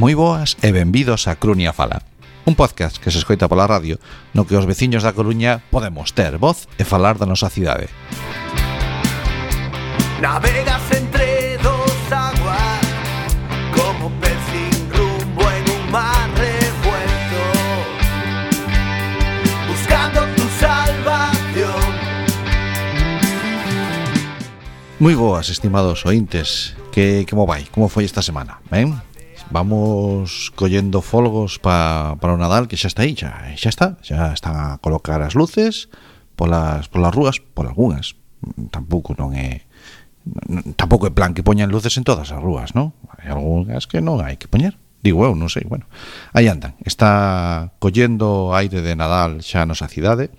Moi boas e benvidos a Coruña Fala, un podcast que se escoita pola radio no que os veciños da Coruña podemos ter voz e falar da nosa cidade. Navegas entre dos aguas como pez sin rumbo en un mar revuelto, buscando tu salvación. Moi boas, estimados ointes, como vai? Como foi esta semana? Ben? Vamos collendo folgos para o Nadal, que xa está aí, xa están a colocar as luces polas rúas, por algunhas. Tampouco é plan que poñan luces en todas as rúas, non? Hai algunhas que non hai que poñer. Digo eu, non sei, bueno. Aí andan, está collendo aire de Nadal xa a nosa cidade.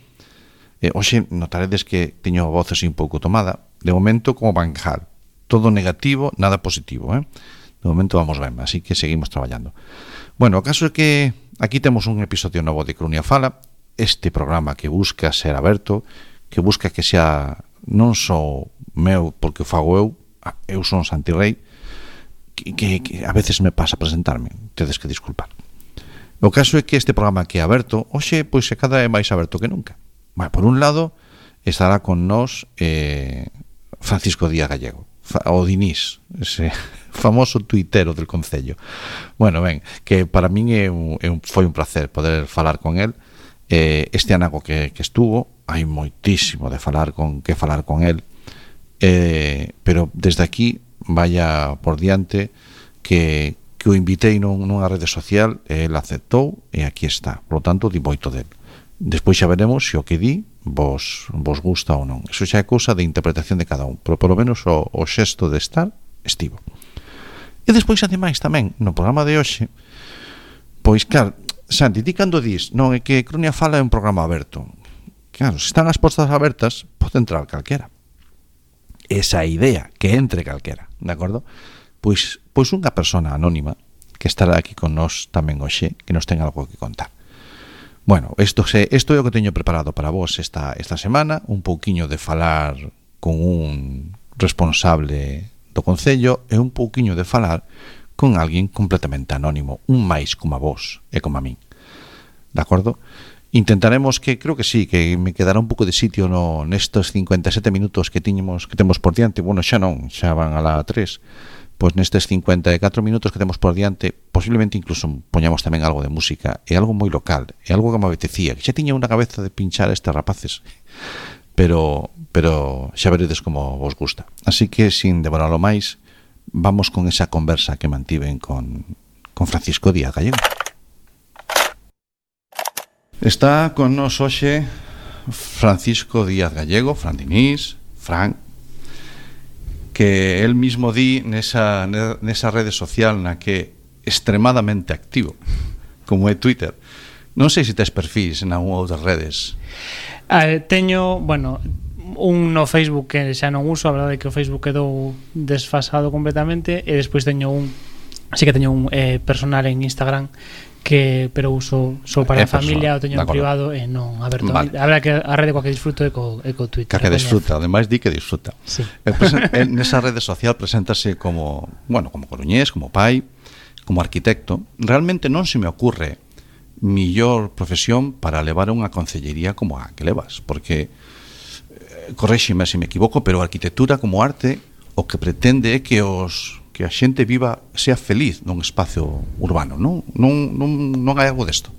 Hoxe notaredes que teño a voz así un pouco tomada. De momento, como banjar, todo negativo, nada positivo, De momento vamos ben, así que seguimos traballando. Bueno, o caso é que aquí temos un episodio novo de Coruña Fala, este programa que busca ser aberto, que busca que sea non só meu porque o fago eu son Santi Rei, que a veces me pasa presentarme, tedes que disculpar. O caso é que este programa que é aberto, hoxe, pois se cada é máis aberto que nunca. Bueno, por un lado, estará con nós Francisco Díaz Gallego, o Dinís, ese famoso tuitero del Concello. Bueno, ben, que para min foi un placer poder falar con él. Este anaco que estuvo, hai moitísimo de falar con él, pero desde aquí vaya por diante que o invitei nunha rede social, el aceptou e aquí está. Por lo tanto, di moito del. Despois xa veremos se o que di vos gusta ou non. Eso xa é cousa de interpretación de cada un, pero por lo menos o xesto de estar estivo. E despois, ademais, tamén, no programa de hoxe, pois, claro, Santi, ti cando dis, non, é que Coruña Fala é un programa aberto. Claro, se están as portas abertas, pode entrar calquera. Esa idea, que entre calquera, de acordo? Pois unha persona anónima que estará aquí con nós tamén hoxe, que nos ten algo que contar. Bueno, isto é o que teño preparado para vos esta semana, un pouquiño de falar con un responsable do Concello e un pouquiño de falar con alguén completamente anónimo, un máis como a vos e como a min. De acordo? Intentaremos que, creo que sí, que me quedará un pouco de sitio nestes 57 minutos que temos por diante. Bueno, xa non, xa van a la 3. Pois nestes 54 minutos que temos por diante, posiblemente incluso poñamos tamén algo de música, e algo moi local, e algo que me apetecía, que xa tiña unha cabeza de pinchar a estes rapaces, pero xa veredes como vos gusta. Así que, sin devoralo máis, vamos con esa conversa que mantiven con Francisco Díaz Gallego. Está con nos hoxe Francisco Díaz Gallego, Fran Dinís, Fran, que él mismo di nesa rede social na que é extremadamente activo, como é Twitter. Non sei se tes perfis en algunha outras redes. Teño, un no Facebook que xa non uso, a verdade é que o Facebook quedou desfasado completamente, e despois teño un personal en Instagram pero uso só para a familia, o teño en privado e non aberto. Vale. A verdade que a rede coa que disfruto é co Twitter. Que disfruta, ademais di que disfruta. Sí. Nesa rede social preséntase como coruñés, como pai, como arquitecto. Realmente non se me ocurre millor profesión para levar unha concellería como a que levas, porque corréxime se me equivoco, pero a arquitectura como arte o que pretende é que a xente viva, sea feliz nun espacio urbano, non hai algo desto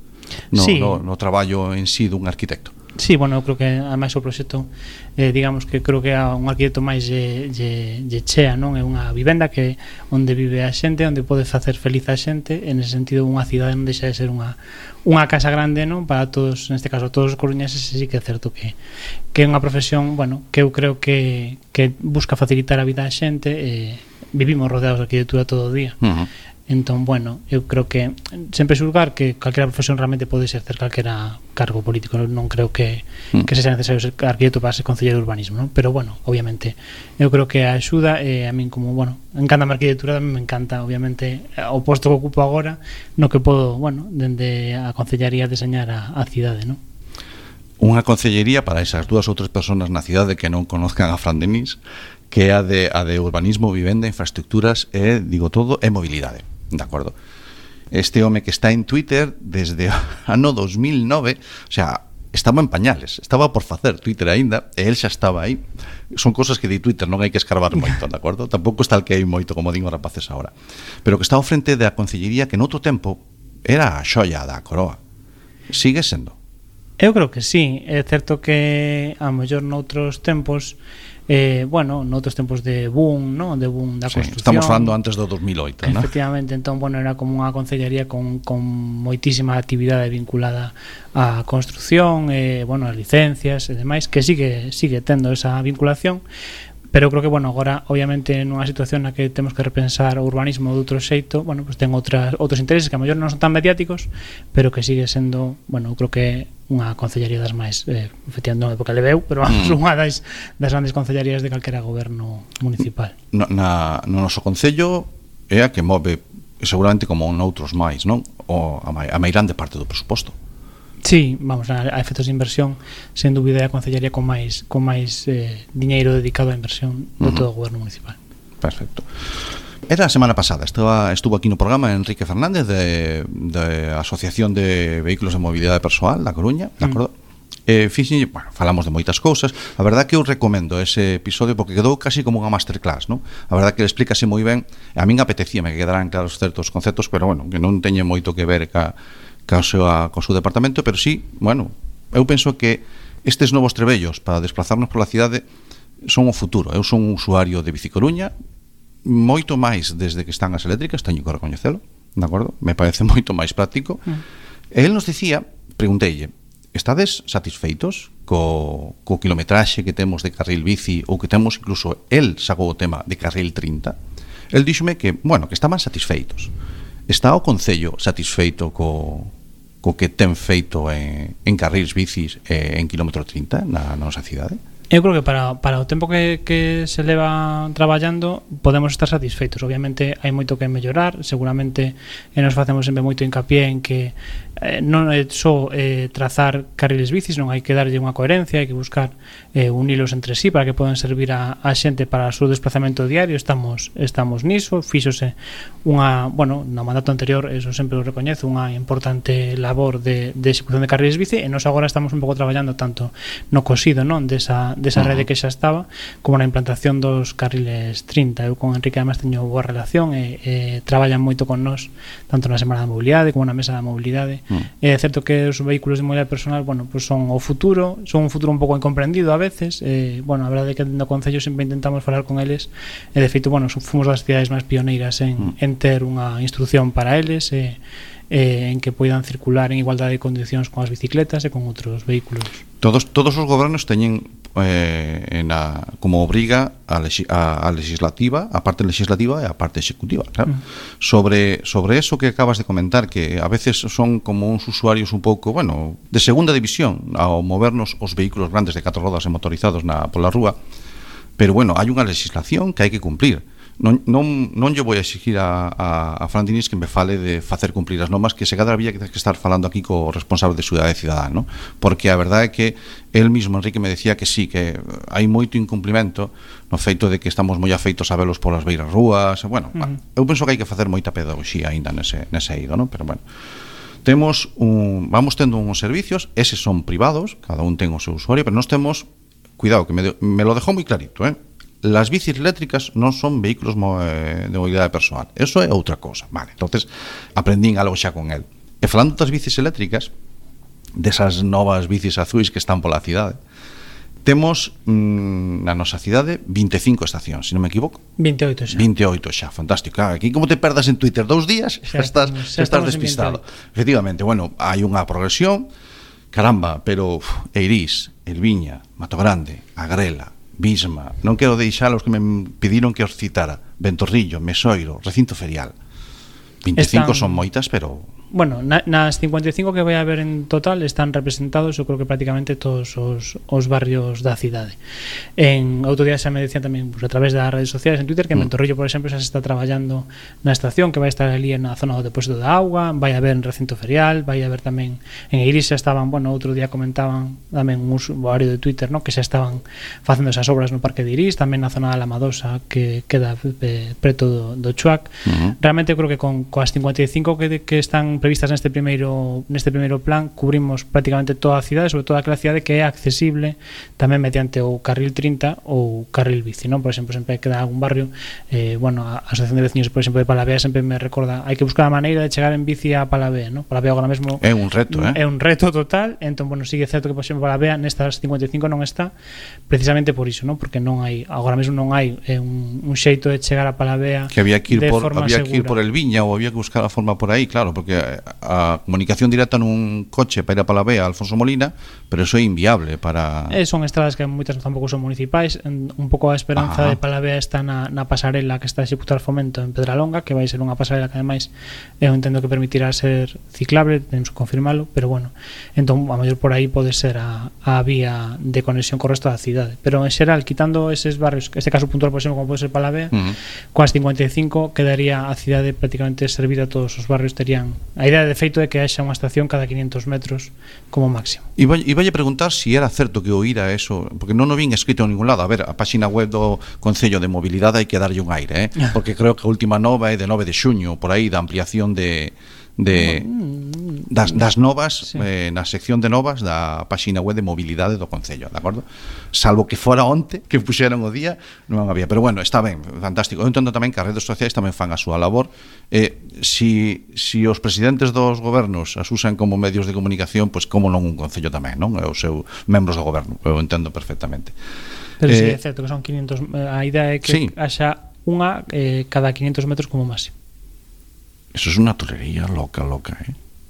no traballo en sí dun arquitecto. Sí, eu creo que ademais o proxecto digamos que creo que é un arquitecto máis lle chea, non? É unha vivenda que onde vive a xente, onde pode facer feliz a xente, en ese sentido unha cidade non deixa de ser unha casa grande, non? Para todos, neste caso todos os coruñeses, sí que é certo que é unha profesión, que eu creo que busca facilitar a vida a xente. Vivimos rodeados de arquitectura todo o día. Entón, eu creo que sempre xulgar que calquera profesión realmente pode exercer calquera cargo político. Non creo que sexa necesario ser arquitecto para ser concelleiro de urbanismo, non? Pero, obviamente, eu creo que a axuda, a min como, encanta a arquitectura, me encanta, obviamente, o posto que ocupo agora, no que podo, dende a concellaría deseñar a cidade, non? Unha concellería para esas dúas ou tres persoas na cidade que non conozcan a Fran Dinís, que é a de urbanismo, vivenda, infraestructuras e, digo todo, e mobilidade, de acordo? Este home que está en Twitter desde o ano 2009, o sea, estaba en pañales, estaba por facer Twitter aínda, e el xa estaba aí. Son cosas que di Twitter, non hai que escarbar moito, de acordo? Tampouco está el que hai moito, como din os rapaces agora. Pero que está ao frente da concellería que noutro tempo era a xoia da coroa. Sigue sendo? Eu creo que sí. É certo que a mellor noutros tempos noutros tempos de boom, ¿no? De boom da construcción. Estamos falando antes do 2008, ¿no? Efectivamente, entón, era como unha concellería con moitísima actividade vinculada á construcción, as licencias e demais, que sigue tendo esa vinculación. Pero creo que, agora, obviamente, nunha situación na que temos que repensar o urbanismo de outro xeito, pues ten outros intereses que a mellor non son tan mediáticos, pero que sigue sendo, creo que unha concellería das máis, efectivamente non é porque leveu, pero unha das grandes concellerías de calquera goberno municipal. No noso concello é a que move, seguramente como noutros máis, non? A máis grande parte do presuposto. Sí, a efectos de inversión, sen dúbida é a concellería con máis diñeiro dedicado á inversión de todo o goberno municipal. Perfecto. Era a semana pasada, estuvo aquí no programa Enrique Fernández de Asociación de Vehículos de Mobilidade Persoal da Coruña, de acordo? Falamos de moitas cousas. A verdad que eu recomendo ese episodio porque quedou casi como unha masterclass, non? A verdad que explícase moi ben. A min apetecíame que quedaran claros certos conceptos, pero que non teñe moito que ver co seu departamento, pero sí, eu penso que estes novos trebellos para desplazarnos pola cidade son o futuro. Eu son un usuario de Bicicoruña, moito máis desde que están as eléctricas, teño que recoñecelo, de acordo? Me parece moito máis práctico. E el nos dicía, pregunteille, estades satisfeitos co kilometraxe que temos de carril bici ou que temos incluso, el sacou o tema de carril 30? El díxome que estaban satisfeitos. Está o Concello satisfeito co que ten feito en carrils bicis en kilómetro 30 na nosa cidade? Eu creo que para o tempo que se leva traballando podemos estar satisfeitos. Obviamente hai moito que mellorar, seguramente nos facemos sempre moito hincapié en que non é só trazar carriles bicis, non hai que darlle unha coherencia, hai que buscar unilos entre sí para que podan servir a xente para o seu desplazamento diario. Estamos niso, fíxose no mandato anterior, eso sempre o recoñezo, unha importante labor de execución de carriles bici, e nos agora estamos un pouco traballando tanto no cosido, non, desa rede que xa estaba, como na implantación dos carriles 30. Eu con Enrique además teño boa relación e traballan moito con nós, tanto na Semana da Mobilidade como na Mesa da Mobilidade. É certo que os vehículos de mobilidade personal, son o futuro, son un futuro un pouco incomprendido a veces. A verdade é que no Concello sempre intentamos falar con eles, e de feito, fomos das cidades máis pioneiras en ter unha instrucción para eles, en que poidan circular en igualdade de condicións con as bicicletas e con outros vehículos. Todos os gobernos teñen como obriga a legislativa, a parte legislativa e a parte executiva, claro. Sobre eso que acabas de comentar, que a veces son como uns usuarios un pouco, de segunda división ao movernos os vehículos grandes de 4 rodas e motorizados pola rúa, pero hai unha legislación que hai que cumplir. Non lle vou a exigir a Fran Diniz que me fale de facer cumplir as normas, que se cadra había que estar falando aquí co responsable de Seguridade Cidadá, ¿no? Porque a verdade é que el mismo, Enrique, me decía que sí, que hai moito incumplimento no feito de que estamos moi afeitos a velos polas beiras rúas. Eu penso que hai que facer moita pedagogía aínda nese eido, ¿no? Pero vamos tendo uns servicios, eses son privados, cada un ten o seu usuario, pero nós temos, cuidado, que me lo dejou moi clarito, las bicis eléctricas non son vehículos de movilidade persoal. Eso é outra cosa. Vale, entonces aprendín algo xa con él. E falando das bicis eléctricas, desas novas bicis azuis que están pola cidade, temos na nosa cidade 25 estacións, se non me equivoco. 28 xa. 28 xa, fantástico. Aquí como te perdas en Twitter 2 días, xa estás despistado. Efectivamente, hai unha progresión, caramba, pero Eirís, Elviña, Mato Grande, Agrela, Bisma, non quero deixar os que me pediron que os citara, Ventorrillo, Mesoiro, Recinto Ferial. 25 son moitas, pero bueno, nas 55 que vai haber en total están representados, eu creo que prácticamente todos os barrios da cidade. En outro día xa me decían tamén, pues, a través das redes sociais en Twitter, que en Ventorrillo, por exemplo, xa se está traballando na estación, que vai estar ali na zona do depósito de auga, vai haber en recinto ferial, vai haber tamén en Eiris, xa estaban, bueno, outro día comentaban tamén un usuario de Twitter, ¿no?, que xa estaban facendo esas obras no Parque de Eiris, tamén na zona da Lamadosa, que queda preto do Chuac. Realmente eu creo que coas 55 que están previstas neste primeiro plan, cubrimos prácticamente toda a cidade, sobre todo aquela cidade que é accesible tamén mediante o carril 30 ou carril bici, non? Por exemplo, sempre queda algún barrio, bueno, a Asociación de Veciños, por exemplo, de Palavea sempre me recorda, hai que buscar a maneira de chegar en bici a Palavea, non? Palavea agora mesmo é un reto, é un reto total, entón, bueno, sigue certo que, por exemplo, Palavea nestas 55 non está precisamente por iso, non? Porque non hai, agora mesmo non hai un xeito de chegar a Palavea que había que ir por el Viña ou había que buscar a forma por aí, claro, porque a comunicación directa nun coche para ir a Palavea a Alfonso Molina, pero eso é inviable para... son estradas que moitas tampouco son municipais, un pouco a esperanza de Palavea está na pasarela que está a executar Fomento en Pedralonga, que vai ser unha pasarela que ademais eu entendo que permitirá ser ciclable, temos que confirmalo, pero bueno, entón a mellor por aí pode ser a vía de conexión co resto da cidade, pero en xeral, quitando eses barrios, este caso puntual, por exemplo, como pode ser Palavea, coas 55 quedaría a cidade prácticamente servida, todos os barrios terían, a idea de feito é que haxa unha estación cada 500 metros como máximo. E vai preguntar si era certo que oíra eso, porque non o vin escrito en ningún lado. A ver, a páxina web do Concello de Mobilidade hai que darlle un aire, porque creo que a última nova é de 9 de xuño, por aí, da ampliación das novas, sí. Na sección de novas da páxina web de mobilidade do Concello, de acordo? Salvo que fora onte que puxeron o día, non había, pero bueno, está ben, fantástico. Eu entendo tamén que as redes sociais tamén fan a súa labor. Si os presidentes dos gobernos as usan como medios de comunicación, pois como non un Concello tamén, non? Os seus membros do goberno, eu entendo perfectamente. Pero sí, é certo que son 500, a idea é que haxa unha cada 500 metros como máximo. Eso é unha tolería loca,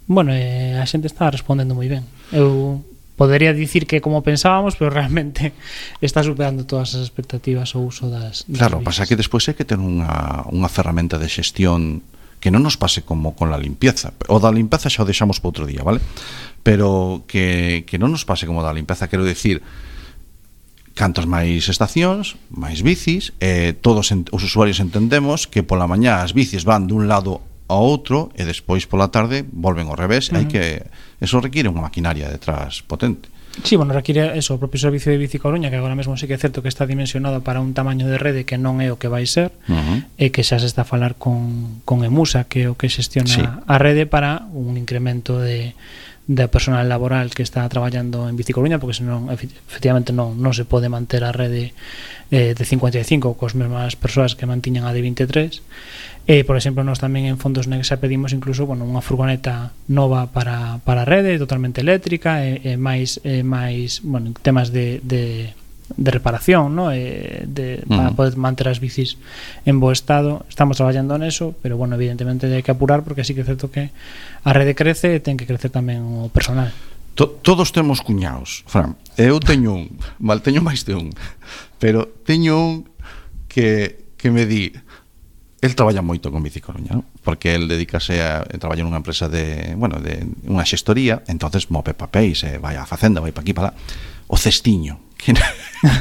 Bueno, a xente está respondendo moi ben. Eu podería dicir que como pensábamos, pero realmente está superando todas as expectativas o uso das claro, vías. pasa que despois hai que ter unha ferramenta de xestión que non nos pase como con la limpieza. O da limpieza xa o deixamos para outro día, vale? Pero que non nos pase como da limpieza, quero dicir, cantas máis estacións, máis bicis, todos os usuarios entendemos que pola mañá as bicis van dun lado a outro e despois pola tarde volven ao revés. Hai que eso requiere unha maquinaria detrás potente. Sí, bueno, requiere eso, o propio servicio de Bici Coruña, que agora mesmo sí que é certo que está dimensionado para un tamaño de rede que non é o que vai ser, e que xa se está a falar con Emusa, que é o que xestiona a rede, para un incremento de personal laboral que está traballando en Bici Coruña, porque senón efectivamente non se pode manter a rede de 55 cos mesmas persoas que mantiñan a de 23. Por exemplo, nós tamén en Fondos Negra xa pedimos incluso, bueno, unha furgoneta nova para a rede, totalmente eléctrica, e máis bueno, temas de reparación, ¿no? Para poder manter as bicis en bo estado. Estamos traballando neso, pero bueno, evidentemente hai que apurar, porque sí que é certo que a rede crece e ten que crecer tamén o personal. Todos temos cuñaos, Fran. Eu teño teño máis de un, pero teño un que me di, el traballa moito con Bici Coruña, ¿no? Porque el dedícase a traballar nunha empresa de unha xestoría, entonces move papéis, vai á facenda, vai pa aquí, pa lá. O cestiño, que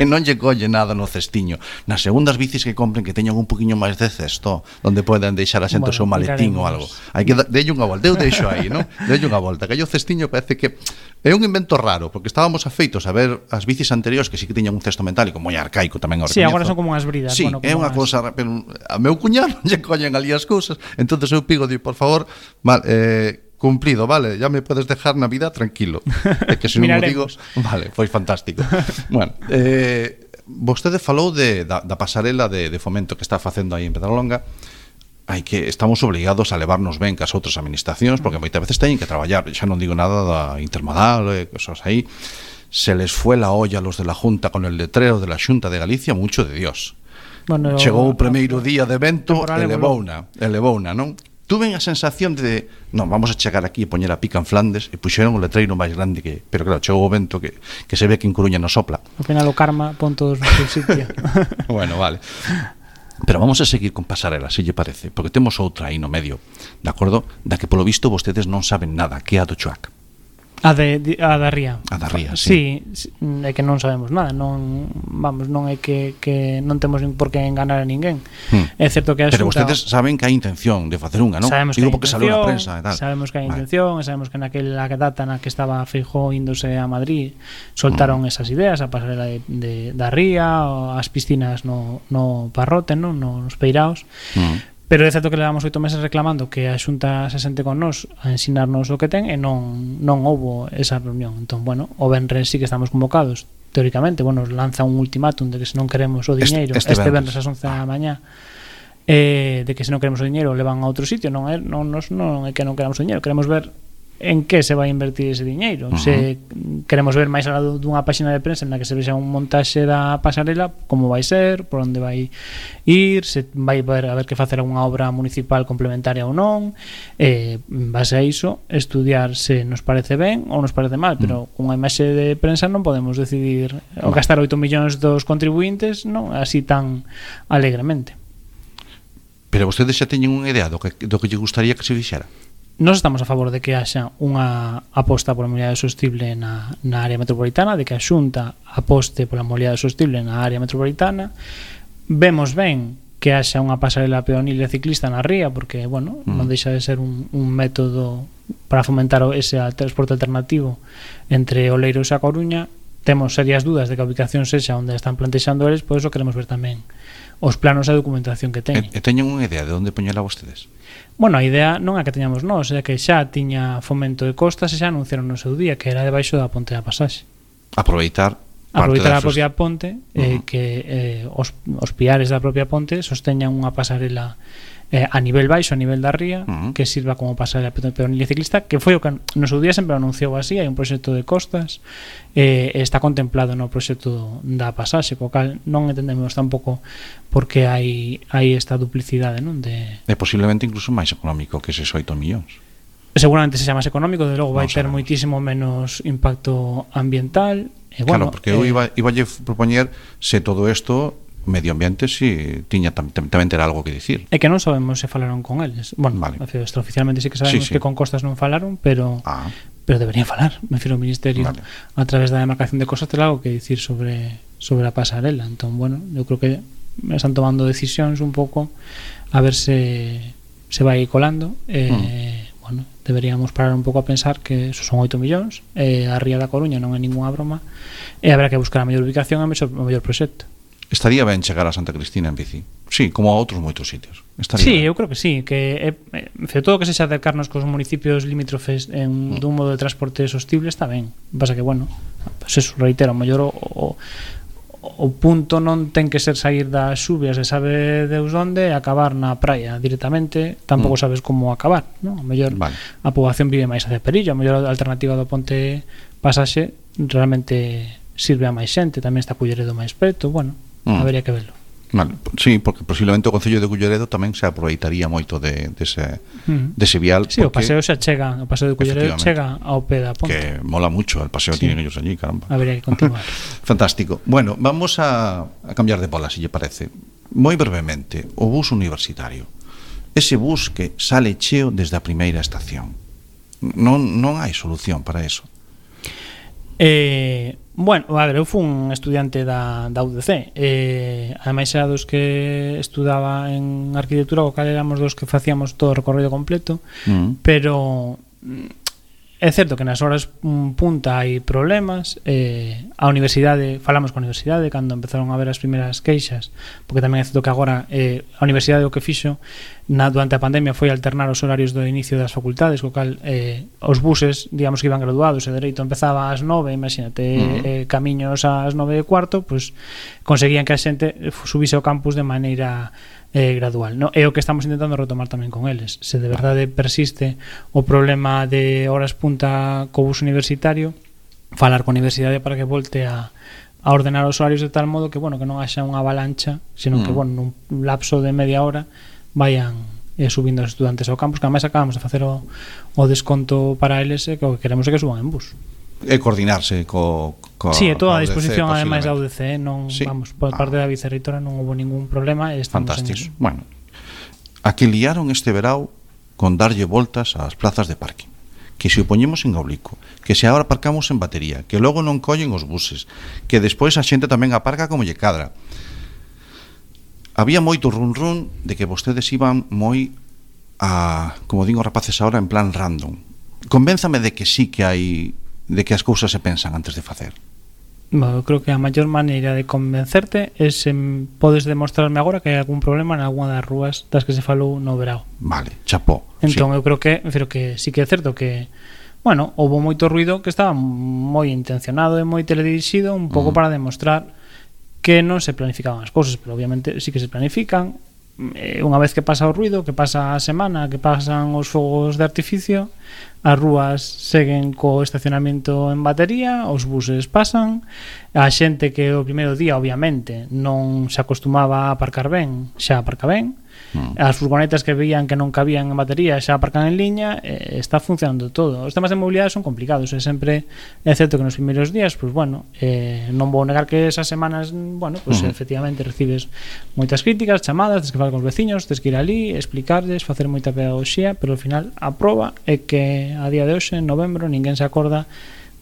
non lle colle nada no cestiño. Nas segundas bicis que compren, que teñan un poquinho máis de cesto, onde poden deixar a xente o seu maletín ou algo. Hai que delle unha volta, eu deixo aí, non? Delle unha volta, que o cestiño parece que é un invento raro, porque estábamos afeitos a ver as bicis anteriores que sí que tiñan un cesto metálico moi arcaico tamén. Sí, agora son como unhas bridas. Sí, bueno, é unha cousa, pero a meu cuñado non lle collen ali as cousas, entonces eu pigo, por favor, cumplido, vale, ya me puedes dejar na vida tranquilo. É que se non o digo, vale, foi fantástico. Bueno, vostede falou da pasarela de Fomento que está facendo aí en Pedralonga. Estamos obligados a levarnos ben cas outras administracións, porque moitas veces teñen que traballar, xa non digo nada da intermodal, cosas aí. Se les fue la olla a los de la Junta con el letrero de la Xunta de Galicia, mucho de Dios. Bueno, chegou o primeiro día de evento, elevouna, non? Tuve a sensación de, non, vamos a chegar aquí e poñer a pica en Flandes, e puxeron o letreiro máis grande que, pero claro, chegou o vento que se ve que en Coruña non sopla. Ao final o karma pon todos no seu sitio. Bueno, vale. Pero vamos a seguir con Pasarela, se lle parece, porque temos outra aí no medio, de acordo, da que polo visto vostedes non saben nada, que é a do Chuac. A da Ría. A da Ría, sí. Sí, é que non sabemos nada, non é que non temos por que enganar a ninguén. É certo que a Pero Xunta, vostedes saben que hai intención de facer unha, non? sabemos Digo que hai porque saliu na intención, prensa e tal. sabemos que hai Vale. intención, e sabemos que naquela data na que estaba Feijóo índose a Madrid soltaron esas ideas, a pasarela da Ría, as piscinas no Parrote, non? Nos Peiraos. Pero é certo que levamos 8 meses reclamando que a Xunta se sente con nós a ensinarnos o que ten e non houbo esa reunión. Entón, bueno, o venres sí que estamos convocados. Teóricamente, bueno, lanza un ultimátum de que se non queremos o diñeiro este venres ás 11 da mañá, de que se non queremos o diñeiro levan a outro sitio. Non é que non queramos o diñeiro, queremos ver en que se vai invertir ese diñeiro. Se queremos ver máis alá dunha páxina de prensa na que se vexa un montaxe da pasarela, como vai ser, por onde vai ir, se vai haber que facer unha obra municipal complementaria ou non, en base a iso estudiar se nos parece ben ou nos parece mal, pero unha imaxe de prensa non podemos decidir o gastar 8 millóns dos contribuintes, non, así tan alegremente. Pero vostedes xa teñen unha idea do que lle gustaría que se fixera? Nós estamos a favor de que haxa unha aposta pola mobilidade sostible na área metropolitana, de que a Xunta aposte pola mobilidade sostible na área metropolitana. Vemos ben que haxa unha pasarela peonil e ciclista na ría, porque, bueno, non deixa de ser un método para fomentar ese transporte alternativo entre Oleiros e a Coruña. Temos serias dúdas de que a ubicación sexa onde están plantexando eles, por iso queremos ver tamén os planos e a documentación que teñen. E teñen unha idea de onde poñela vostedes? Bueno, a idea non é que teñamos nós, é que xa tiña Fomento de Costas e xa anunciaron no seu día que era debaixo da ponte da pasaxe. Aproveitar a propia ponte, que os piares da propia ponte sosteñan unha pasarela a nivel baixo, a nivel da ría, que sirva como pasarela peonil e ciclista, que foi o que no seu día sempre anunciou así. Hai un proxecto de costas, está contemplado no proxecto da pasaxe, co cal non entendemos tampouco porque hai esta duplicidade, non? É posiblemente incluso máis económico que eses 8 millóns. Seguramente sexa máis económico, de logo vai ter moitísimo menos impacto ambiental. Claro, porque eu iba propoñer se todo isto medio ambiente si tiña tamén terá algo que dicir. É que non sabemos se falaron con eles. Bueno, vale. Extraoficialmente sí que sabemos que con Costas non falaron, pero deberían falar. Me refiro ao Ministerio, a través da demarcación de Costas, ter algo que dicir sobre a pasarela. Entón, bueno, eu creo que están tomando decisións un pouco a ver se vai colando. Bueno, deberíamos parar un pouco a pensar que esos son 8 millóns, a Ría da Coruña non é ninguna broma, e habrá que buscar a mellor ubicación e o mellor proxecto. Estaría ben chegar a Santa Cristina en bici. Sí, como a outros moitos sitios. Sí, eu creo que sí, que todo que sexa acercarnos cos municipios limítrofes dun modo de transporte sostible está ben. Pasa que, bueno, pues eso, reitero, o mellor o punto non ten que ser sair das xubias e sabe Deus onde e acabar na praia directamente, tampouco sabes como acabar, non? O mellor a poboación vive máis hacia Perillo, a mellor a alternativa do ponte pasaxe realmente sirve a máis xente, tamén está Culleredo máis preto, bueno, habería que verlo. Vale, sí, porque posiblemente o Concello de Culleredo tamén se aproveitaría moito dese vial. Sí, o paseo xa chega, o paseo de Culleredo chega ao pé da ponte. Que mola mucho, el paseo tienen ellos allí, caramba. Habería que continuar. Fantástico. Bueno, vamos a cambiar de bola, si lle parece. Moi brevemente, o bus universitario. Ese bus que sale cheo desde a primeira estación. Non hai solución para eso. Bueno, a ver, eu fui un estudiante da UDC, ademais era dos que estudaba en arquitectura, o cal éramos dos que facíamos todo o recorrido completo, pero é certo que nas horas punta hai problemas. A universidade, falamos con a universidade cando empezaron a ver as primeiras queixas, porque tamén é certo que agora a universidade o que fixo durante a pandemia foi alternar os horarios do inicio das facultades, co cal os buses, digamos que iban graduados, e dereito empezaba ás 9, imagínate, camiños ás 9:15, pues conseguían que a xente subise ao campus de maneira gradual, no? É o que estamos intentando retomar tamén con eles. Se de verdade persiste o problema de horas punta co bus universitario, falar con a universidade para que volte a ordenar os horarios de tal modo que, bueno, que non haxa unha avalancha, senón que, bueno, nun lapso de media hora vayan subindo os estudantes ao campus, que ademais acabamos de facer o desconto para eles, que o que queremos é que suban en bus. é coordinarse Sí, é toda a UDC, disposición ademais da posiblemente. UDC, non, Sí. vamos, por parte da vicerreitora non houve ningún problema e estamos Fantástico. en eso. Bueno, aquí liaron este verao con darlle voltas ás plazas de parking, que se o poñemos en oblicuo, que se agora aparcamos en batería, que logo non collen os buses, que despois a xente tamén aparca como lle cadra. Había moito run de que vostedes iban moi a, como digo os rapaces ahora, en plan random. Convénzame de que sí que hai, de que as cousas se pensan antes de facer. Bueno, eu creo que a maior maneira de convencerte é se podes demostrarme agora que hai algún problema en algunha das rúas das que se falou no verao. Vale, chapó. Entón sí. eu creo que sí que é certo que bueno, houve moito ruido que estaba moi intencionado e moi teledirixido un pouco para demostrar que non se planificaban as cousas, pero obviamente sí que se planifican. Unha vez que pasa o ruido, que pasa a semana, que pasan os fogos de artificio, as rúas seguen co estacionamento en batería, os buses pasan, a xente que o primeiro día obviamente non se acostumaba a aparcar ben, xa aparca ben, as furgonetas que veían que non cabían en batería xa aparcan en liña, está funcionando todo. Os temas de mobilidade son complicados, e sempre é certo que nos primeiros días, pues bueno, non vou negar que esas semanas, bueno, pues efectivamente recibes moitas críticas, chamadas, tens que falar con os veciños, tens que ir ali, explicarles, facer moita pedagogía, pero ao final a proba é que a día de hoxe, en novembro, ninguén se acorda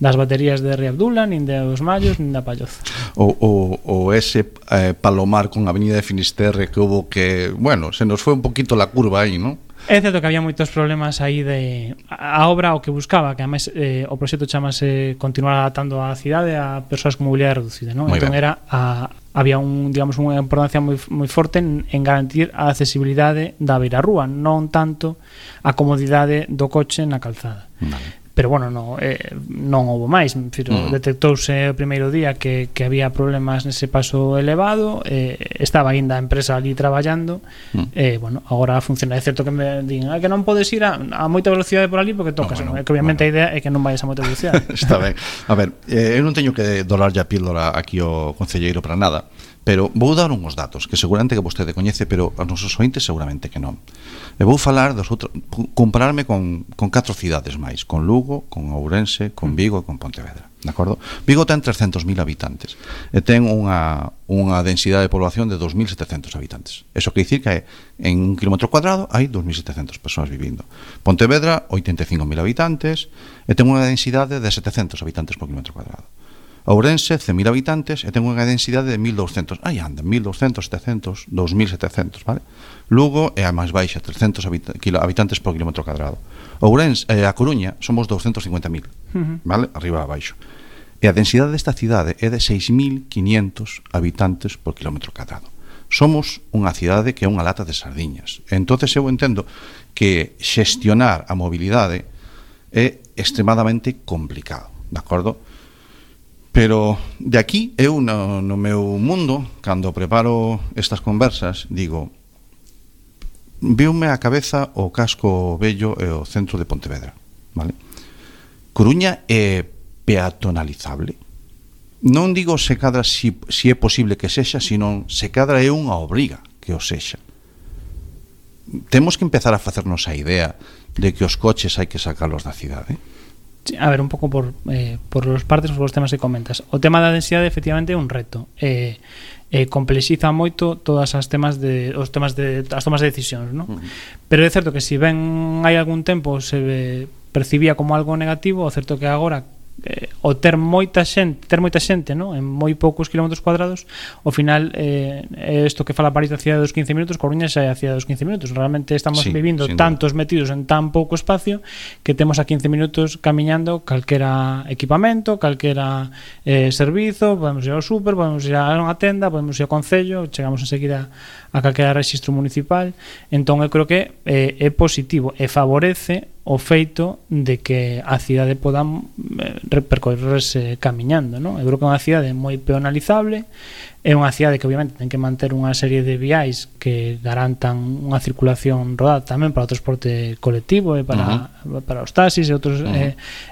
das baterías de Ría Abdula, nin dos Mallos, nin da Palloza. O ese palomar con Avenida de Finisterre que hubo que, bueno, se nos foi un poquito la curva aí, ¿no? É certo que había moitos problemas aí de a obra o que buscaba, que además o proxecto chamase continuar adaptando a cidade a persoas con mobilidade reducida, ¿no? Entón era había digamos unha importancia moi forte en garantir a accesibilidade da beirarrúa, non tanto a comodidade do coche na calzada. Vale. Pero bueno, non houve máis, detectouse o primeiro día que había problemas nese paso elevado, estaba ainda a empresa ali traballando, bueno, agora funciona. É certo que me din que non podes ir a moita velocidade por ali porque tocas, no, bueno, que obviamente a idea é que non vayas a moita velocidade. Está ben. A ver, eu non teño que dolar a píldora aquí ao concelleiro para nada, pero vou dar uns datos que seguramente que vostede coñece, pero os nosos ointes seguramente que non. E vou falar compararme con 4 cidades máis, con Lugo, con Ourense, con Vigo e con Pontevedra, de acordo? Vigo ten 300.000 habitantes e ten unha densidade de población de 2.700 habitantes. Eso quer dicir que en un kilómetro cuadrado hai 2.700 persoas vivindo. Pontevedra, 85.000 habitantes e ten unha densidade de 700 habitantes por kilómetro cuadrado. Ourense, 100.000 habitantes e ten unha densidade de 1.200. Aí anda, 1.200, 700, 2.700, vale? Lugo é a máis baixa, 300 habitantes por kilómetro cuadrado. Ourense, a Coruña, somos 250.000, vale? Arriba a baixo. E a densidade desta cidade é de 6.500 habitantes por kilómetro cuadrado. Somos unha cidade que é unha lata de sardiñas. Entonces eu entendo que xestionar a mobilidade é extremadamente complicado, de acordo? Pero de aquí eu no meu mundo, cando preparo estas conversas, digo, viume a cabeza o casco vello e o centro de Pontevedra, vale? Coruña é peatonalizable. Non digo se cadra si é posible que sexa, sino se cadra é unha obriga que o sexa. Temos que empezar a facernos a idea de que os coches hai que sacarlos da cidade. A ver, un pouco por os partes, por os temas que comentas. O tema da densidade efectivamente é un reto. Complexiza moito todas as temas as tomas de decisións, ¿no? Pero é certo que se ben hai algún tempo se percibía como algo negativo, o certo que agora o ter moita xente, ¿no? En moi poucos kilómetros cuadrados, ao final isto que fala París da cidade dos 15 minutos, Coruña xa é a cidade dos 15 minutos. Realmente estamos vivindo tantos metidos en tan pouco espacio que temos a 15 minutos camiñando calquera equipamento, calquera servizo, podemos ir ao súper, podemos ir a unha tenda, podemos ir ao concello, chegamos enseguida a calquera rexistro municipal. Entón eu creo que é positivo e favorece o feito de que a cidade poda percorrerse camiñando, non? Eu creo que é unha cidade moi peonalizable, é unha cidade que obviamente ten que manter unha serie de viais que garantan unha circulación rodada tamén para o transporte colectivo e para os taxis e outros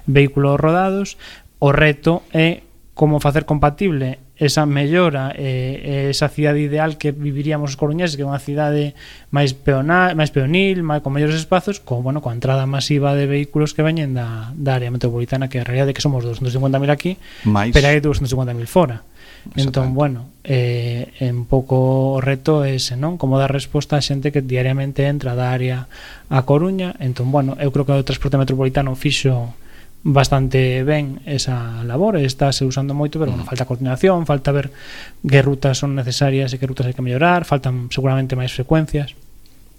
vehículos rodados. O reto é como facer compatible esa mellora esa cidade ideal que viviríamos os coruñeses, que é unha cidade máis peonil, con mellores espazos, coa entrada masiva de vehículos que veñen da área metropolitana, que a realidade é que somos 250.000 aquí, pero hai 250.000 fora. Entón, un pouco o reto é ese, non? Como dar resposta a xente que diariamente entra da área a Coruña. Entón, eu creo que o transporte metropolitano fixo bastante ben esa labor, estáse usando moito, pero falta coordinación, falta ver que rutas son necesarias e que rutas hai que mellorar, faltan seguramente máis frecuencias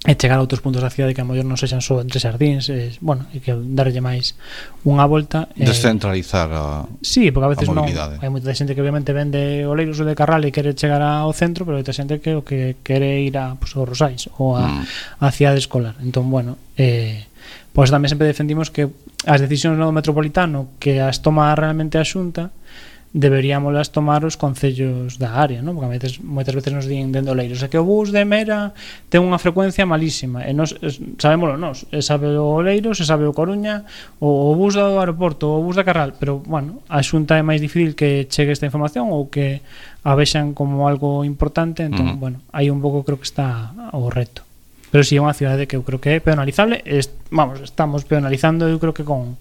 e chegar a outros puntos da cidade que a mellor non sexan só entre xardíns, e que darlle máis unha volta, descentralizar sí, porque a veces non, mobilidade. hai moita xente que obviamente vende oleiros ou de Carral e quere chegar ao centro, pero hai moita xente que o que quere ir a Rosais ou a cidade escolar. Entón, pois tamén sempre defendimos que as decisións no metropolitano que as toma realmente a Xunta deberíamos tomar os concellos da área, non? Porque a veces, moitas veces nos din dende Oleiros que o bus de Mera ten unha frecuencia malísima e nos sabémolo nós, sabe o Oleiros, sabe o Coruña, o bus do aeroporto, o bus da Carral, pero a Xunta é máis difícil que chegue esta información ou que a vexan como algo importante. Entón, aí un pouco creo que está o reto. Pero si é unha cidade que eu creo que é peonalizable. Estamos peonalizando, eu creo que con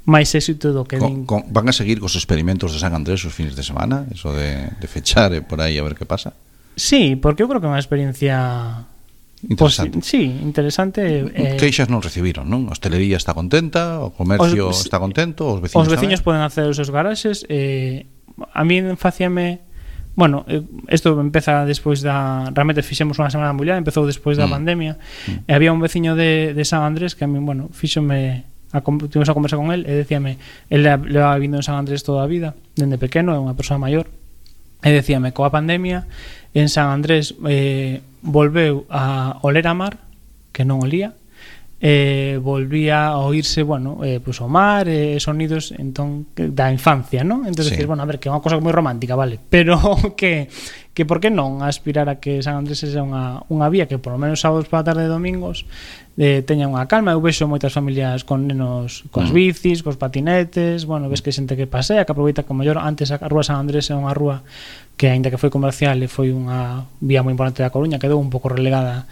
máis éxito do que van a seguir cos experimentos de San Andrés os fines de semana, eso de fechar por aí a ver que pasa. Sí, porque eu creo que é unha experiencia interesante. Interesante. Queixas non recibiron, non? A hostelería está contenta, o comercio está contento, os veciños poden hacer os seus garaxes. A mí facíame isto empeza despois realmente fixemos unha semana muller, empezou despois da pandemia, e había un veciño de San Andrés que a mí, fíxome tivemos a conversa con él e decíame, él leva vindo en San Andrés toda a vida, dende pequeno, é unha persoa maior, e decíame, coa pandemia en San Andrés volveu a oler a mar, que non olía, volvía a oírse pues o mar, sonidos entón da infancia, non? Entón decir, a ver, que é unha cosa moi romántica, vale, pero que por que non aspirar a que San Andrés sexa unha vía que por lo menos sábados para a tarde e domingos teña unha calma. Eu vexo moitas familias con nenos coas bicis, cos patinetes, ves que xente que pasea, que aproveita, que mellor antes a rúa San Andrés é unha rúa que aínda que foi comercial e foi unha vía moi importante da Coruña, quedou un pouco relegada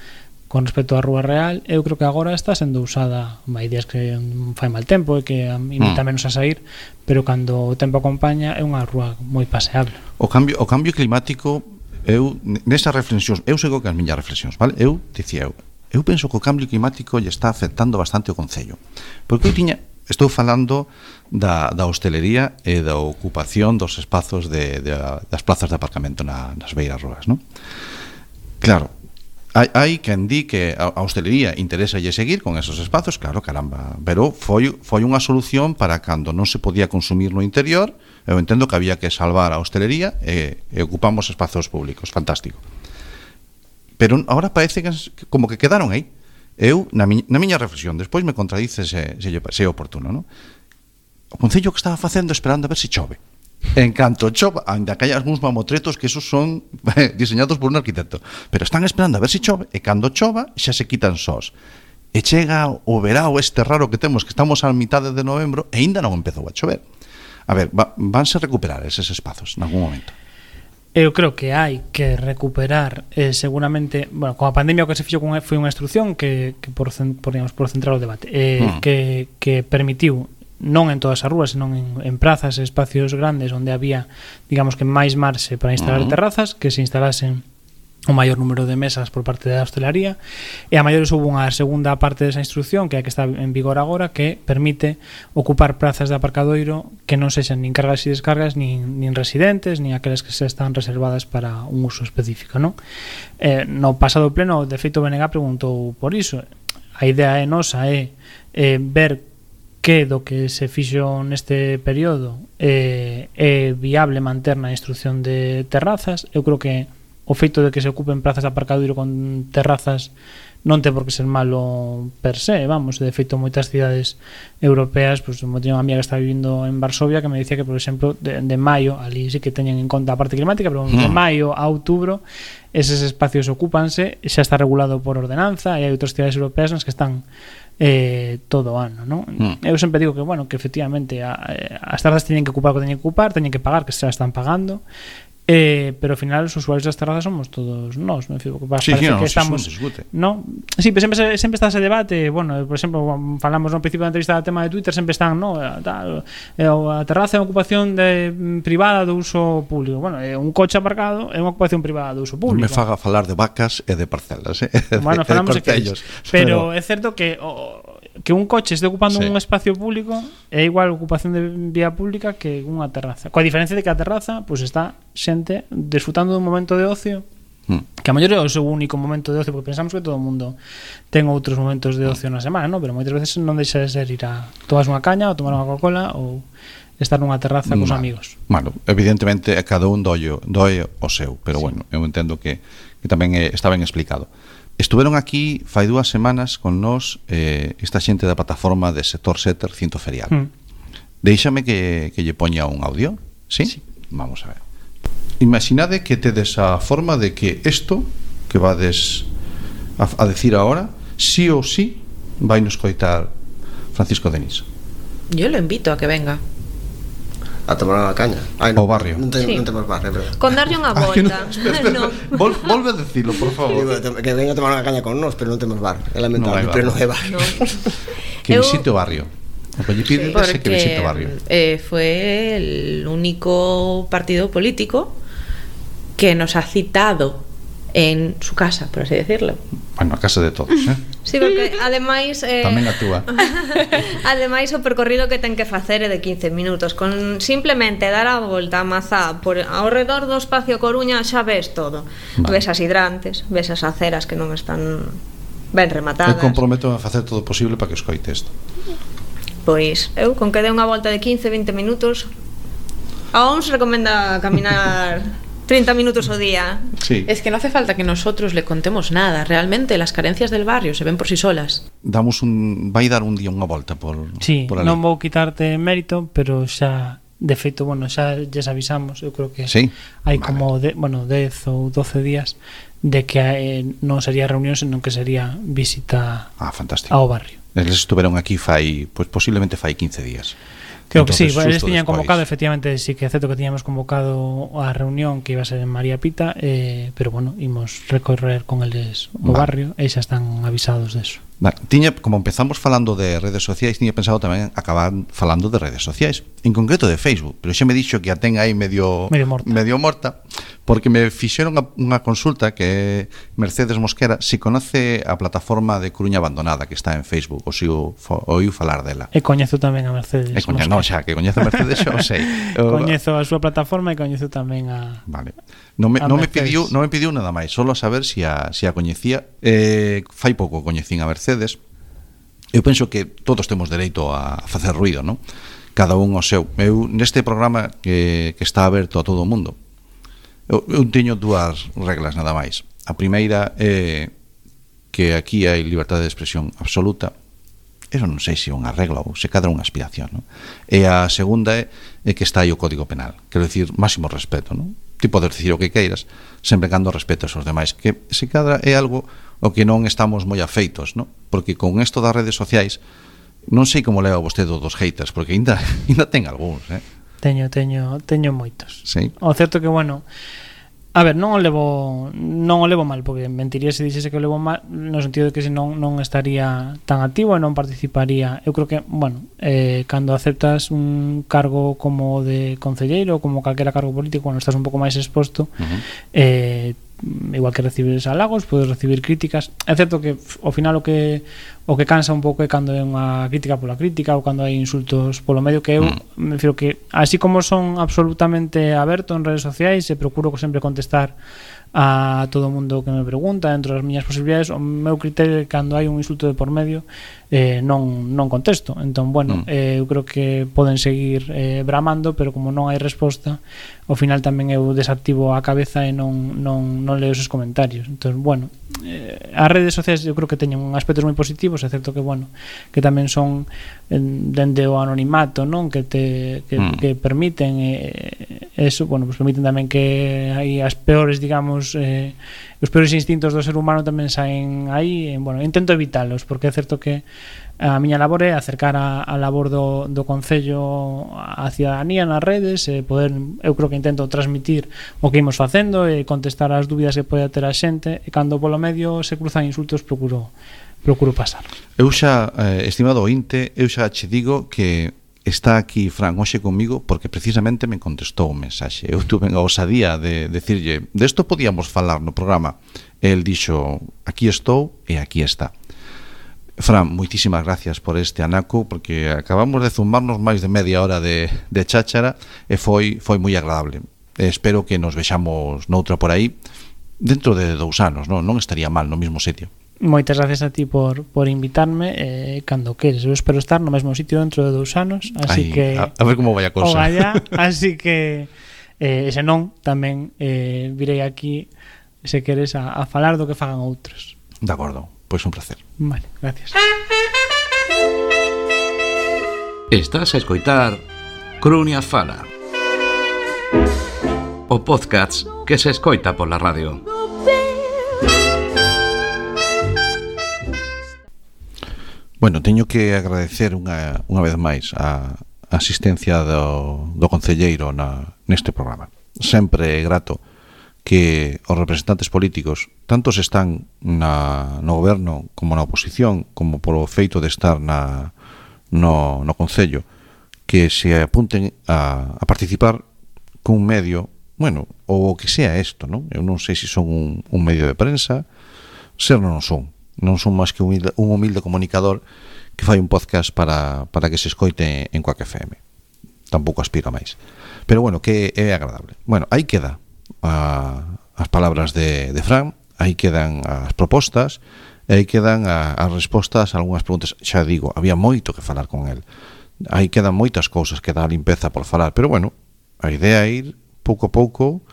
con respecto á Rúa Real. Eu creo que agora está sendo usada, hai días que fai mal tempo e que invita menos a sair, pero cando o tempo acompaña é unha rúa moi paseable. O cambio climático, eu nesas reflexións, eu sigo que as miñas reflexións, vale? Eu penso que o cambio climático lle está afectando bastante o concello, porque estou falando da hostelería e da ocupación dos espazos das plazas de aparcamento nas beiras rúas, non? Claro, hai quen di que a hostelería interesa seguir con esos espazos, claro, caramba, pero foi unha solución para cando non se podía consumir no interior. Eu entendo que había que salvar a hostelería e ocupamos espazos públicos, fantástico. Pero agora parece que como que quedaron aí. Eu, na miña reflexión, despois me contradice se é oportuno, non? O concello que estaba facendo esperando a ver se chove. En canto chova, ainda que hai algúns mamotretos que esos son diseñados por un arquitecto, pero están esperando a ver se chove, e cando chova xa se quitan sós. E chega o verao este raro que temos, que estamos a mitade de novembro e ainda non empezou a chover. A ver, vanse recuperar eses espazos en algún momento? Eu creo que hai que recuperar seguramente, con a pandemia o que se fixo foi unha instrucción que por centrar o debate, que permitiu non en todas as rúas, senón en prazas e espacios grandes onde había, digamos que máis marxe para instalar terrazas, que se instalasen o maior número de mesas por parte da hostelaría, e a maiores houve unha segunda parte desa instrucción que é a que está en vigor agora, que permite ocupar prazas de aparcadoiro que non sexan nin cargas e descargas nin residentes, nin aquelas que se están reservadas para un uso específico, non? No pasado pleno, de feito, BNG preguntou por iso. A idea nosa é ver que do que se fixo neste período é viable manter na instrucción de terrazas. Eu creo que o feito de que se ocupen prazas de aparcadoiro con terrazas non ten por que ser malo per se, vamos, de feito moitas cidades europeas, pues teño unha amiga que está vivindo en Varsovia que me dicía que, por exemplo, de maio, ali sí que teñen en conta a parte climática, pero de maio a outubro eses espacios ocúpanse, xa está regulado por ordenanza, e hai outras cidades europeas nas que están todo o ano, non? Eu sempre digo que, bueno, que efectivamente as terrazas teñen que ocupar o que teñen que ocupar, teñen que pagar, que se están pagando, pero ao final os usuarios das terrazas somos todos nós, non? Sí, parece no, que estamos, ¿no? Sí, pero sempre está ese debate, bueno, por exemplo, falamos no principio da entrevista do tema de Twitter, sempre están, no, a terraza é unha ocupación privada do uso público. Bueno, un coche aparcado é unha ocupación privada do uso público. Me faga falar de vacas e de parcelas, Bueno, falamos de que pero é certo que un coche este ocupando un espacio público é igual ocupación de vía pública que unha terraza. Coa diferencia de que a terraza pues está xente disfrutando dun momento de ocio que a mellor é o seu único momento de ocio, porque pensamos que todo o mundo ten outros momentos de ocio na semana, ¿no? Pero moitas veces non deixa de ser ir a tomar unha caña ou tomar unha Coca-Cola ou estar nunha terraza cos amigos. Bueno, evidentemente a cada un doe o seu, pero bueno, eu entendo que tamén está ben explicado. Estuveron aquí fai 2 semanas con nós esta xente da plataforma de Sector Setter Cinto Ferial. Déixame que lle poña un audio, ¿sí? Sí. Vamos a ver. Imaginade que tedes a forma de que isto que vades a decir ahora, sí ou sí vai nos coitar Francisco Denis. Yo lo invito a que venga a tomar unha caña. O barrio. Non temos barrio, pero con darlle unha volta. No. Volve a decirlo, por favor. Digo, que venga a tomar unha caña con nós, pero non temos bar. É lamentable, pero non é bar. No. Que visite o barrio. O que lle pide é que visite o barrio. Fue el único partido político que nos ha citado en su casa, por así decirlo. Bueno, a casa de todos, Sí, porque ademais tamén a túa. Ademais o percorrido que ten que facer é de 15 minutos. Con simplemente dar a volta a Mazá por ao redor do espacio Coruña xa ves todo. Ves as hidrantes, ves as aceras que non están ben rematadas. Eu comprometo a facer todo o posible para que escoite isto. Pois eu con que dé unha volta de 15-20 minutos. A uns recomenda caminar 30 minutos ao día. Sí. Es que no hace falta que nosotros le contemos nada. Realmente las carencias del barrio se ven por sí solas. Vai dar un día unha volta por sí, por ali. Non vou quitarte mérito, pero xa de feito, bueno, xa lles avisamos, eu creo que sí, hai como 10 ou 12 días de que non sería reunión, senón que sería visita ao barrio. Eles estuveron aquí pues posiblemente fai 15 días. Creo que sí, eles tiñan convocado, efectivamente, sí que é certo que tiñamos convocado a reunión que iba a ser en María Pita, pero bueno, imos recorrer con eles o barrio e xa están avisados deso. Como empezamos falando de redes sociais, tiña pensado tamén acabar falando de redes sociais, en concreto de Facebook, pero xa me dixo que a ten aí medio morta, porque me fixeron unha consulta que Mercedes Mosquera si conoce a plataforma de Coruña Abandonada que está en Facebook, ou si oiu falar dela. E coñezo tamén a Mercedes Mosquera. Non, xa, que coñezo a Mercedes xa o sei. Coñezo a súa plataforma e coñezo tamén a Vale. Non me pediu nada máis, solo a saber si a coñecía. Fai pouco coñecín a Mercedes. Eu penso que todos temos dereito a facer ruido, non? Cada un o seu. Eu neste programa que está aberto a todo o mundo, eu teño 2 reglas nada máis. A primeira é que aquí hai liberdade de expresión absoluta. Eso non sei se é unha regla ou se cadra unha aspiración, non? E a segunda é que está aí o Código Penal, quero dicir, máximo respeto, non? Ti podes dicir o que queiras, sempre cando respetas aos demais, que se cadra é algo o que non estamos moi afeitos, non? Porque con isto das redes sociais non sei como leva vostede dos haters, porque ainda ten algúns, Teño moitos. Sí. O certo que, bueno, a ver, non o levo mal, porque mentiría se dixese que o levo mal, no sentido de que se non estaría tan activo e non participaría. Eu creo que, bueno, cando aceptas un cargo como de concelleiro ou como calquera cargo político, cuando estás un pouco máis exposto, igual que recibir halagos, podes recibir críticas. É certo que ao final o que o que cansa un pouco é cando é unha crítica pola crítica ou cando hai insultos polo medio, que eu me refiro que así como son absolutamente aberto en redes sociais e procuro sempre contestar a todo o mundo que me pregunta dentro das miñas posibilidades, o meu criterio é que cando hai un insulto de por medio non contesto. Entón, bueno, eu creo que poden seguir bramando, pero como non hai resposta, ao final tamén eu desactivo a cabeza e non leo esos comentarios. Entón, bueno, as redes sociais eu creo que teñen aspectos moi positivos, é certo que, bueno, que tamén son dende o anonimato, non, que permiten eso, bueno, pues permiten tamén que hai as peores, digamos, os peores instintos do ser humano tamén saen aí, e, bueno, intento evitalos, porque é certo que a miña labor é acercar a labor do Concello á cidadanía nas redes, e poder, eu creo que intento transmitir o que imos facendo e contestar as dúbidas que pode ter a xente, e cando polo medio se cruzan insultos procuro pasar. Eu xa, estimado ointe, eu xa che digo que está aquí Fran hoxe comigo porque precisamente me contestou un mensaxe. Eu tuve a osadía de decirlle, desto podíamos falar no programa. El dixo, aquí estou e aquí está. Fran, moitísimas gracias por este anaco, porque acabamos de zumbarnos máis de media hora de cháchara e foi moi agradable. Espero que nos vexamos noutra por aí dentro de 2 anos, non estaría mal no mesmo sitio. Moitas gracias a ti por invitarme, cando queres. Eu espero estar no mesmo sitio dentro de 2 anos, así que a ver como vai a cousa. Ogallá, así que se non, tamén virei aquí, se queres, a falar do que fagan outros. De acordo, pois un placer. Vale, gracias. Estás a escoitar Crunia Fala, o podcast que se escoita pola radio. Bueno, teño que agradecer unha vez máis a asistencia do concelleiro neste programa. Sempre é grato que os representantes políticos, tanto se están no goberno como na oposición, como polo feito de estar no concello, que se apunten a participar cun medio, bueno, ou o que sea isto, non? Eu non sei se son un medio de prensa, ser non son máis que un humilde comunicador que fai un podcast para que se escoite en Quack FM. Tampouco aspiro a máis, pero bueno, que é agradable. Bueno, aí queda as palabras de Fran, aí quedan as propostas, e aí quedan as respostas a algunhas preguntas. Xa digo, había moito que falar con el, aí quedan moitas cousas que dá limpeza por falar, pero bueno, a idea é ir pouco a pouco,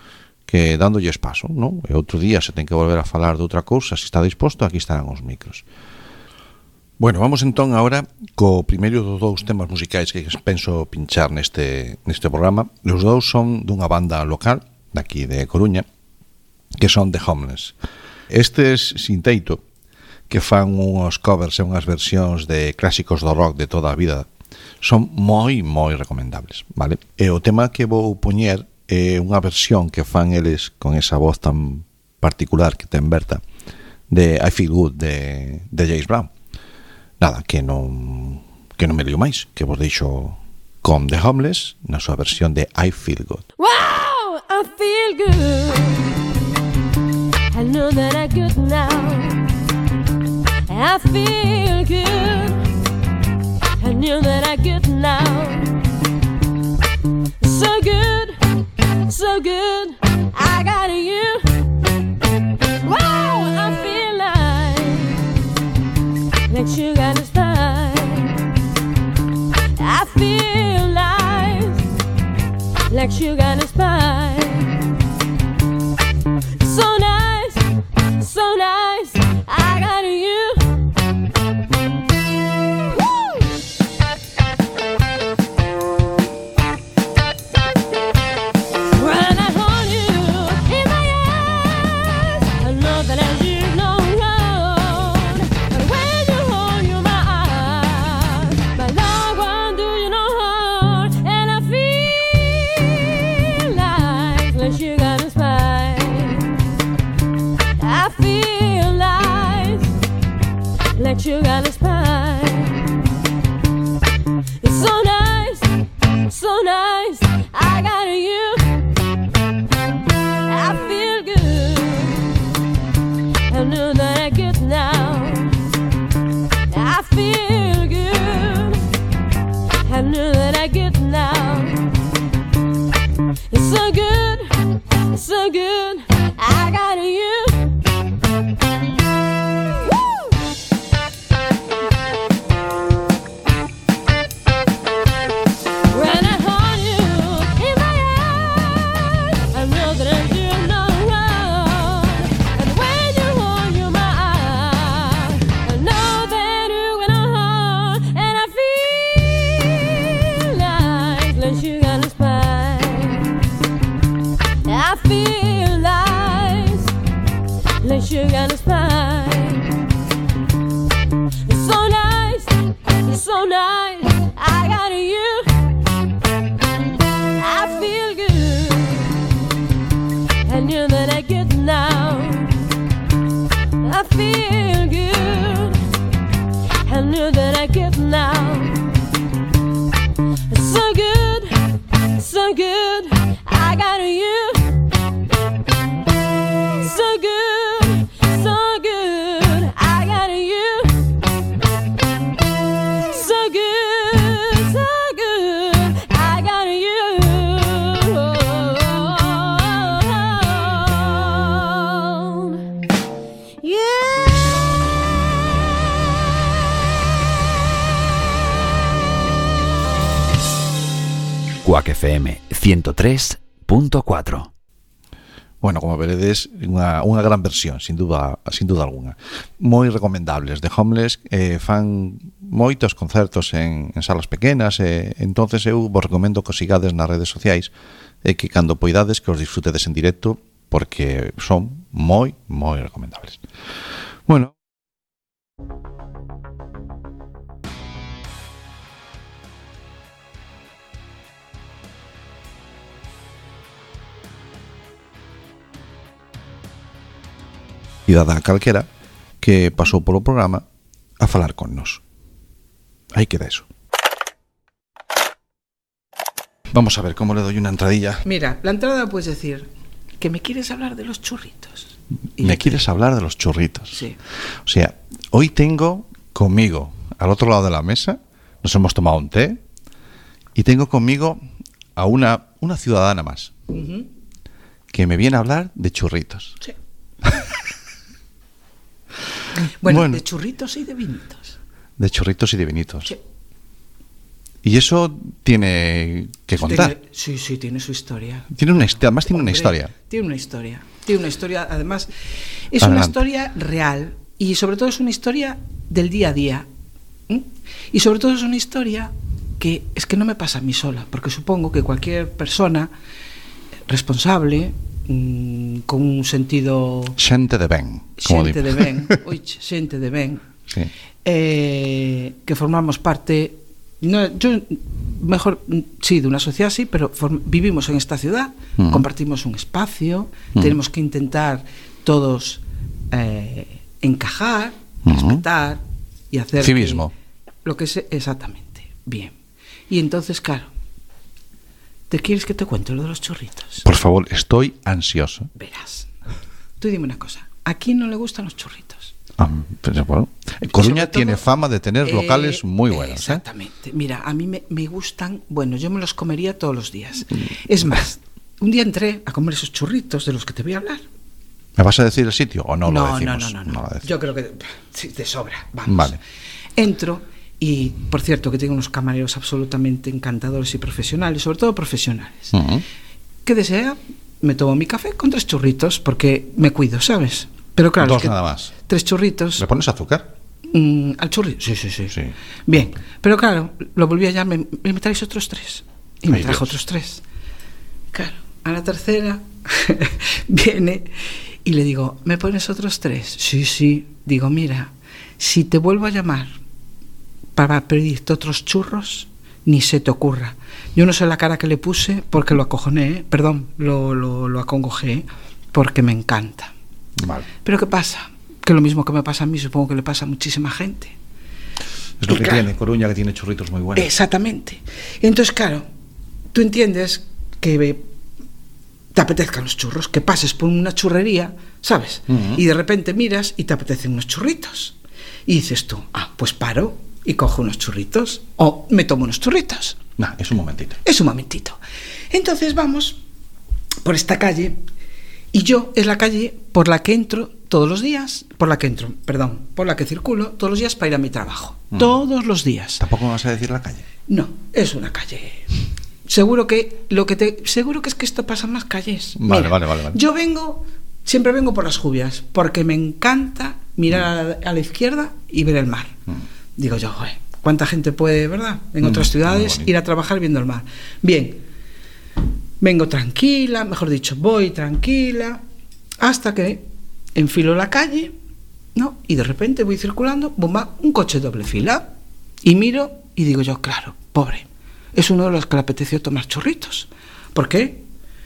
que dándolles paso, non? E outro día se ten que volver a falar de outra cousa, se está disposto, aquí estarán os micros. Bueno, vamos entón agora co primeiro dos 2 temas musicais que penso pinchar neste programa. Os 2 son dunha banda local daqui de Coruña, que son The Homeless. Estes sin teito, que fan uns covers e unhas versións de clásicos do rock de toda a vida, son moi recomendables, vale? E o tema que vou poñer é unha versión que fan eles con esa voz tan particular que ten Berta, de I Feel Good de James Brown. Nada, que non me lío máis, que vos deixo con The Homeless na súa versión de I Feel Good. Wow, I feel good. I know that I'm good now. I feel good. I know that I'm good now. So good. So good, I got you. Wow, I feel like sugar and spice. I feel like sugar and spice. So nice, I got you. Sugar and spice. It's so nice, I got you. I feel good. I know that I get now. I sugar and a spice. It's so nice, it's so nice. I got you. I feel good. I knew that I could now. I feel good. I knew that I could now. It's so good, so good. I got you. So good, so good. I got you. So good, so good. I got you. Yeah. Quack FM 103.4. Bueno, como veredes, unha gran versión, sin duda alguna. Moi recomendables. The Homeless fan moitos concertos en salas pequenas, entonces eu vos recomendo que os sigades nas redes sociais e que cando poidades que os disfrutedes en directo, porque son moi recomendables. Bueno, cidadá calquera que pasou polo programa a falar con nos. Aí queda eso. Vamos a ver cómo le doy una entradilla. Mira, la entrada puedes decir que me quieres hablar de los churritos. Me quieres hablar de los churritos. Sí. O sea, hoy tengo conmigo, al otro lado de la mesa, nos hemos tomado un té y tengo conmigo a una ciudadana más que me viene a hablar de churritos. Sí. Bueno, de churritos y de vinitos. De churritos y de vinitos. Sí. Y eso tiene que contar. Sí, tiene su historia. Además tiene una historia. Tiene una historia, además, es una historia real y sobre todo es una historia del día a día. Y sobre todo es una historia que es que no me pasa a mí sola, porque supongo que cualquier persona responsable, con un sentido xente de ben, xente de ben sí. Que formamos parte, no, yo mejor sí, de una sociedad así, pero vivimos en esta ciudad, compartimos un espacio, tenemos que intentar todos encajar, respetar y hacer civismo, lo que es exactamente bien. Y entonces, claro, ¿te quieres que te cuente lo de los churritos? Por favor, estoy ansioso. Verás. Tú dime una cosa. ¿A quién no le gustan los churritos? Pues, bueno, Coruña tiene fama de tener locales muy buenos. Exactamente. Mira, a mí me gustan. Bueno, yo me los comería todos los días. Es más, un día entré a comer esos churritos de los que te voy a hablar. ¿Me vas a decir el sitio o no lo decimos? No. Yo creo que sí, te sobra. Vamos. Vale. Entro. Y, por cierto, que tengo unos camareros absolutamente encantadores y profesionales, sobre todo profesionales. ¿Qué desea? Me tomo mi café con 3 churritos, porque me cuido, ¿sabes? Pero claro, 2 es que nada más. 3 churritos. ¿Le pones azúcar? ¿Al churrito? Sí. Bien, pero claro, lo volví a llamar, me traes otros 3. Y me trajo otros 3. Claro, a la tercera viene y le digo, ¿me pones otros 3? Sí. Digo, mira, si te vuelvo a llamar para pedirte otros churros, ni se te ocurra. Yo no sé la cara que le puse porque lo acojoné, lo acongojé, porque me encanta. Vale. Pero ¿qué pasa? Que lo mismo que me pasa a mí, supongo que le pasa a muchísima gente. Es lo que tiene Coruña, que tiene churritos muy buenos. Exactamente. Entonces, claro, tú entiendes que te apetezcan los churros, que pases por una churrería, ¿sabes? Y de repente miras y te apetecen unos churritos. Y dices tú, pues paro y cojo unos churritos o me tomo unos churritos. Es un momentito. Entonces vamos por esta calle y yo es la calle por la que entro todos los días, por la que circulo todos los días para ir a mi trabajo. Todos los días. ¿Tampoco me vas a decir la calle? No, es una calle. Seguro que es que esto pasa en más calles. Vale. Yo siempre vengo por las Jubias, porque me encanta mirar a la izquierda y ver el mar. Digo yo, joder, ¿cuánta gente puede, verdad? En otras ciudades ir a trabajar viendo el mar. Bien, vengo tranquila, mejor dicho, voy tranquila, hasta que enfilo la calle, ¿no? Y de repente voy circulando, bomba, un coche doble fila. Y miro y digo yo, claro, pobre, es uno de los que le apeteció tomar churritos. ¿Por qué?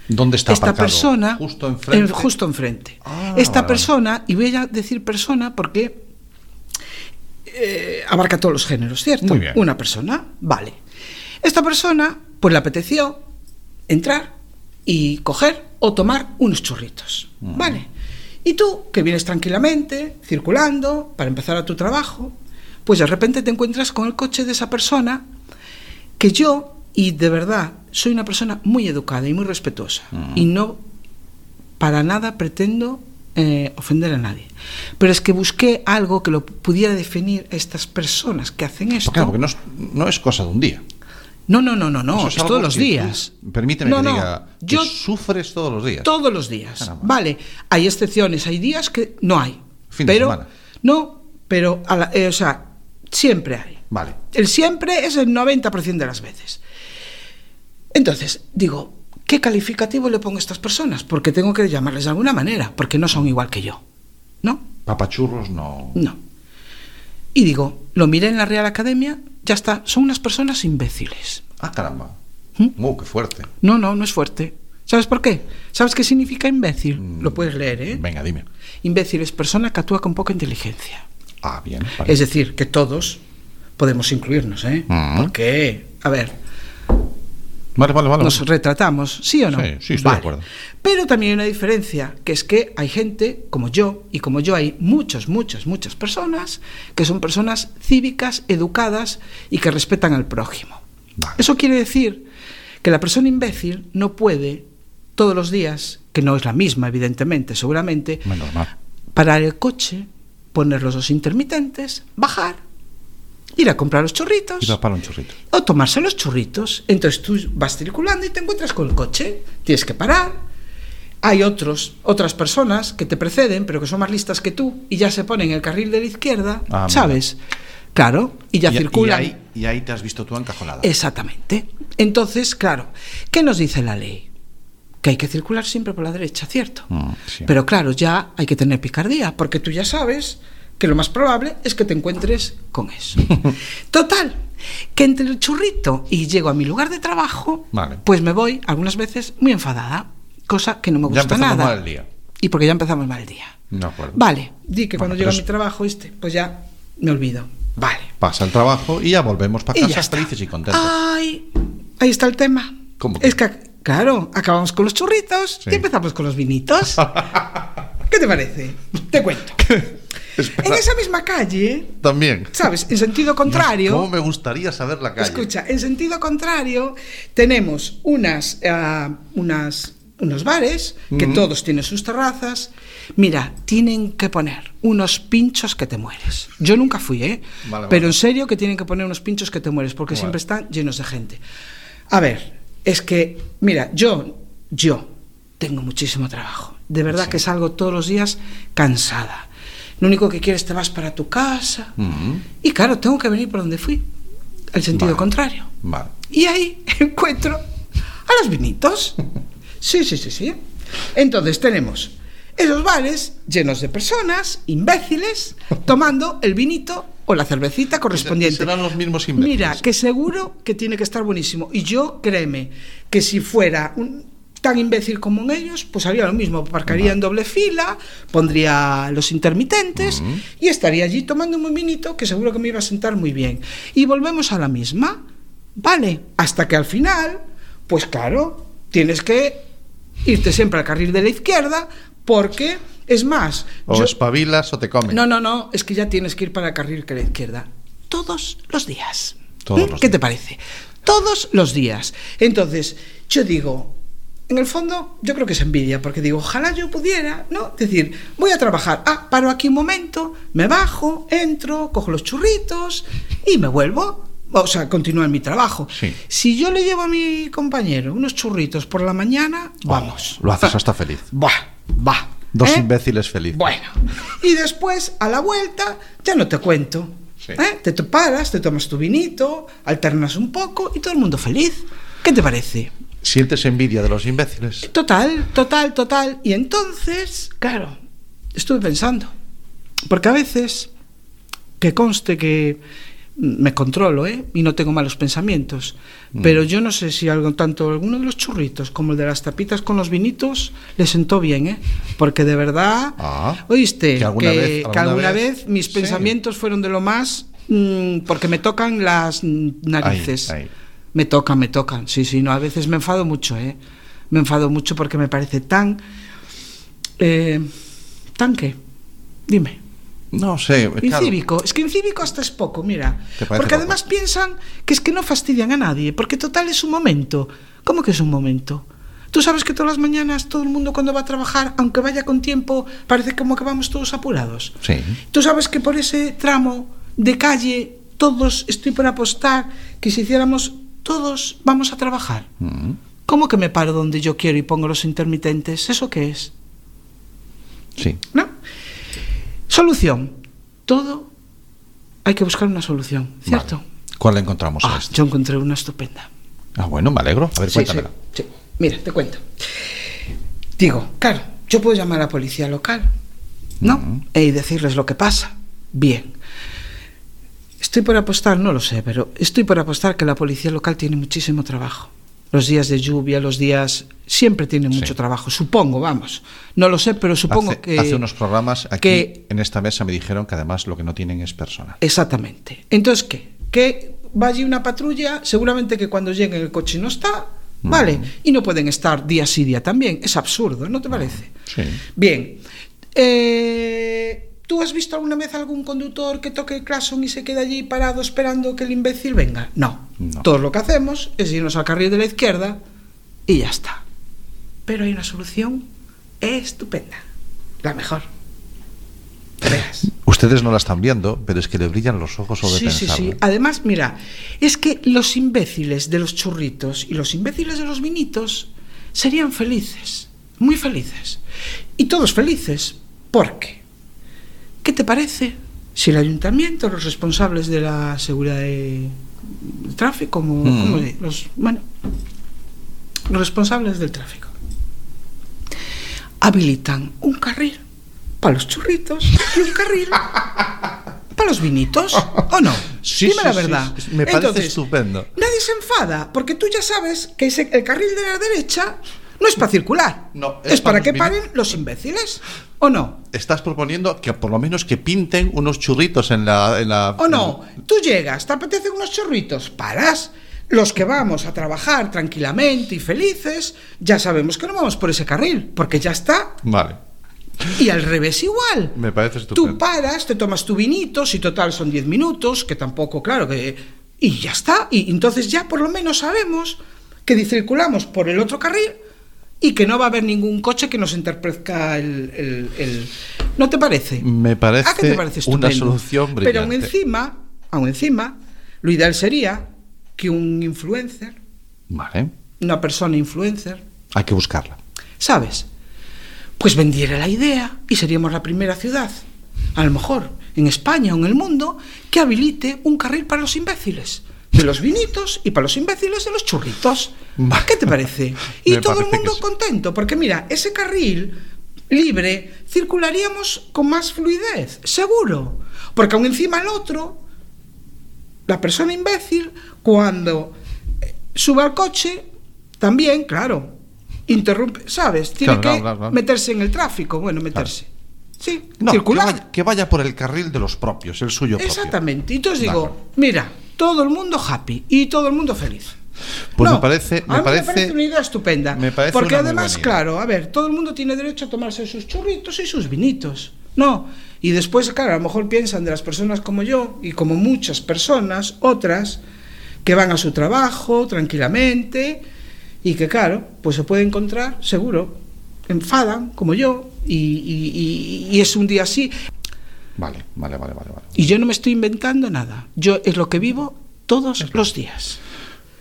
¿Dónde está esta aparcado? Persona? Justo enfrente. Esta persona, y voy a decir persona porque abarca todos los géneros, ¿cierto? Muy bien. Una persona, vale. Esta persona, pues le apeteció entrar y coger o tomar unos churritos, ¿vale? Y tú, que vienes tranquilamente, circulando, para empezar a tu trabajo, pues de repente te encuentras con el coche de esa persona, que yo, y de verdad, soy una persona muy educada y muy respetuosa, y no para nada pretendo ofender a nadie, pero es que busqué algo que lo pudiera definir a estas personas que hacen esto. Claro, porque no es cosa de un día. No, es todos los días. Permíteme que diga, que sufres todos los días. Todos los días. Caramba. Vale, hay excepciones, hay días que no hay. Fin de semana. No, pero o sea, siempre hay. Vale. El siempre es el 90% de las veces. Entonces, digo, ¿qué calificativo le pongo a estas personas? Porque tengo que llamarles de alguna manera, porque no son igual que yo, ¿no? Papachurros no. No. Y digo, lo miré en la Real Academia, ya está, son unas personas imbéciles. Ah, caramba. Qué fuerte. No es fuerte. ¿Sabes por qué? ¿Sabes qué significa imbécil? Lo puedes leer, ¿eh? Venga, dime. Imbécil es persona que actúa con poca inteligencia. Ah, bien. Vale. Es decir, que todos podemos incluirnos, ¿eh? Porque, a ver, Vale. nos retratamos, ¿sí o no? Sí, estoy de acuerdo. Pero también hay una diferencia, que es que hay gente como yo, y como yo hay muchas personas que son personas cívicas, educadas y que respetan al prójimo. Vale. Eso quiere decir que la persona imbécil no puede todos los días, que no es la misma evidentemente, seguramente, parar el coche, poner los dos intermitentes, bajar, ir a comprar los churritos, ir a para un churrito, o tomarse los churritos. Entonces tú vas circulando y te encuentras con el coche, tienes que parar. Hay otras personas que te preceden, pero que son más listas que tú, y ya se ponen en el carril de la izquierda, ¿sabes? Claro, y ya circulan. Y ahí te has visto tú encajonada. Exactamente. Entonces, claro, ¿qué nos dice la ley? Que hay que circular siempre por la derecha, ¿cierto? Sí. Pero claro, ya hay que tener picardía, porque tú ya sabes que lo más probable es que te encuentres con eso. Total, que entre el churrito y llego a mi lugar de trabajo, pues me voy algunas veces muy enfadada, cosa que no me gusta nada. Ya empezamos mal el día. Y porque ya empezamos mal el día. De acuerdo. Vale, di que cuando llego a mi trabajo pues ya me olvido. Vale. Pasa el trabajo y ya volvemos para casa felices y contentos. Ay, ahí está el tema. ¿Cómo que? Es que, claro, acabamos con los churritos y empezamos con los vinitos. ¿Qué te parece? Te cuento. En esa misma calle también, ¿sabes? En sentido contrario. ¿Cómo me gustaría saber la calle? Escucha, en sentido contrario tenemos unos bares que todos tienen sus terrazas. Mira, tienen que poner unos pinchos que te mueres. Yo nunca fui, pero en serio que tienen que poner unos pinchos que te mueres, porque siempre están llenos de gente. A ver, es que, mira, yo tengo muchísimo trabajo. De verdad que salgo todos los días cansada. Lo único que quieres, te vas para tu casa. Y claro, tengo que venir por donde fui, al sentido contrario. Y ahí encuentro a los vinitos. Sí. Entonces tenemos esos bares llenos de personas imbéciles tomando el vinito o la cervecita correspondiente. Serán los mismos imbéciles. Mira, que seguro que tiene que estar buenísimo. Y yo, créeme, que si fuera tan imbécil como en ellos, pues haría lo mismo. Aparcaría en doble fila, pondría los intermitentes y estaría allí tomando un vinito que seguro que me iba a sentar muy bien. Y volvemos a la misma, ¿vale? Hasta que al final, pues claro, tienes que irte siempre al carril de la izquierda, porque, es más... O espabilas o te comen. No, es que ya tienes que ir para el carril de la izquierda. Todos los días. ¿Qué te parece? Todos los días. Entonces, yo digo... En el fondo, yo creo que es envidia, porque digo, ojalá yo pudiera, ¿no? Es decir, voy a trabajar, paro aquí un momento, me bajo, entro, cojo los churritos y me vuelvo, o sea, continúo en mi trabajo. Sí. Si yo le llevo a mi compañero unos churritos por la mañana, vamos. Lo haces hasta feliz. Va. Dos imbéciles felices. Bueno, y después, a la vuelta, ya no te cuento. Sí. Te paras, te tomas tu vinito, alternas un poco y todo el mundo feliz. ¿Qué te parece? ¿Sientes envidia de los imbéciles? Total. Y entonces, claro, estuve pensando, porque a veces, que conste que me controlo, y no tengo malos pensamientos, pero yo no sé si tanto alguno de los churritos como el de las tapitas con los vinitos le sentó bien, porque de verdad, oíste, que alguna vez mis pensamientos fueron de lo más, porque me tocan las narices. Ahí. Me tocan, sí, no, a veces me enfado mucho, me enfado mucho porque me parece tan ¿qué? Dime. No sé, incívico, claro. Es que incívico hasta es poco, mira, porque además piensan que es que no fastidian a nadie, porque total es un momento. ¿Cómo que es un momento? Tú sabes que todas las mañanas todo el mundo cuando va a trabajar, aunque vaya con tiempo, parece como que vamos todos apurados. Sí. Tú sabes que por ese tramo de calle todos, estoy por apostar que si hiciéramos todos vamos a trabajar. ¿Cómo que me paro donde yo quiero y pongo los intermitentes? ¿Eso qué es? Sí. ¿No? Solución. Todo hay que buscar una solución, ¿cierto? Vale. ¿Cuál encontramos a esto? Yo encontré una estupenda. Bueno, me alegro. A ver, cuéntamela. Sí. Mira, te cuento. Digo, claro, yo puedo llamar a la policía local, ¿no? Y decirles lo que pasa. Bien. Estoy por apostar, no lo sé, pero estoy por apostar que la policía local tiene muchísimo trabajo. Los días de lluvia, los días... Siempre tienen mucho trabajo, supongo, vamos. No lo sé, pero supongo que... Hace unos programas aquí en esta mesa me dijeron que además lo que no tienen es personal. Exactamente. Entonces, ¿qué? Que va allí una patrulla, seguramente que cuando llegue el coche no está, ¿vale? Y no pueden estar día sí, día también. Es absurdo, ¿no te parece? Sí. Bien. ¿Tú has visto alguna vez algún conductor que toque el claxon y se quede allí parado esperando que el imbécil venga? No. Todo lo que hacemos es irnos al carril de la izquierda y ya está. Pero hay una solución estupenda, la mejor. Veas. Ustedes no la están viendo, pero es que le brillan los ojos sobre pensarlo. Sí. Además, mira, es que los imbéciles de los churritos y los imbéciles de los vinitos serían felices, muy felices. Y todos felices, porque ¿qué te parece si el ayuntamiento, los responsables de la seguridad de tráfico, los responsables del tráfico, habilitan un carril para los churritos y un carril para los vinitos, ¿o no? Sí, dime la verdad. Sí, me parece estupendo. Nadie se enfada, porque tú ya sabes que el carril de la derecha no es para circular, no, es para que paren los imbéciles, ¿o no? Estás proponiendo que por lo menos que pinten unos churritos en la... ¿O no? Tú llegas, te apetecen unos churritos, paras. Los que vamos a trabajar tranquilamente y felices, ya sabemos que no vamos por ese carril, porque ya está. Vale. Y al revés igual. Me parece estupendo. Tú paras, te tomas tu vinito, si total son 10 minutos, que tampoco, claro, que... Y ya está. Y entonces ya por lo menos sabemos que circulamos por el otro carril y que no va a haber ningún coche que nos interprezca el... ¿No te parece? Me parece, ¿A qué te parece una solución brillante. Pero aún encima, lo ideal sería que un influencer, vale, una persona influencer, hay que buscarla, ¿sabes? Pues vendiera la idea y seríamos la primera ciudad, a lo mejor en España o en el mundo, que habilite un carril para los imbéciles de los vinitos y para los imbéciles de los churritos. ¿Qué te parece? Y todo el mundo contento, porque mira, ese carril libre circularíamos con más fluidez, seguro, porque aún encima el otro, la persona imbécil, cuando suba al coche, también, claro, interrumpe, ¿sabes? Tiene claro. Meterse en el tráfico, meterse. Claro. Sí, no, circular. Que vaya por el carril de los propios, el suyo propio. Exactamente. Entonces digo, mira, todo el mundo happy y todo el mundo feliz. Pues me parece una idea estupenda. Me parece porque además, claro, a ver, todo el mundo tiene derecho a tomarse sus churritos y sus vinitos. No, y después, claro, a lo mejor piensan de las personas como yo y como muchas personas, otras, que van a su trabajo tranquilamente y que, claro, pues se puede encontrar, seguro, enfadan, como yo, y es un día así. Vale. Y yo no me estoy inventando nada. Yo es lo que vivo todos los días.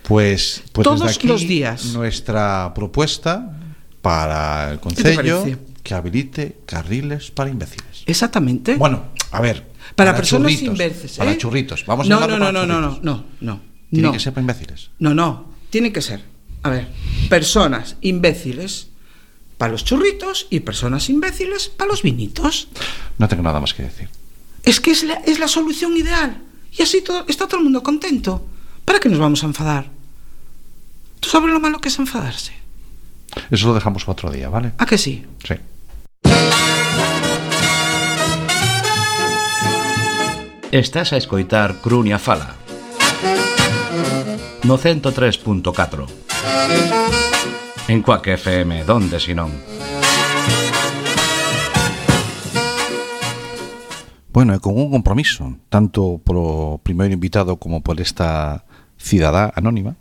Pues todos desde aquí, los días. Nuestra propuesta para el Concello, que habilite carriles para imbéciles. Exactamente. Bueno, a ver. Para personas imbéciles. Para churritos. Vamos a No. Tiene que ser para imbéciles. No. Tiene que ser. A ver, personas imbéciles para los churritos y personas imbéciles para los vinitos. No tengo nada más que decir. Es que es la solución ideal. Y así está todo el mundo contento. ¿Para qué nos vamos a enfadar? ¿Tú sabes lo malo que es enfadarse? Eso lo dejamos para otro día, ¿vale? ¿A que sí? Sí. Estás a escoitar Crunia Fala no 103.4 en Quack FM, donde si non. Bueno, e con un compromiso, tanto polo primeiro invitado como por esta cidadá anónima,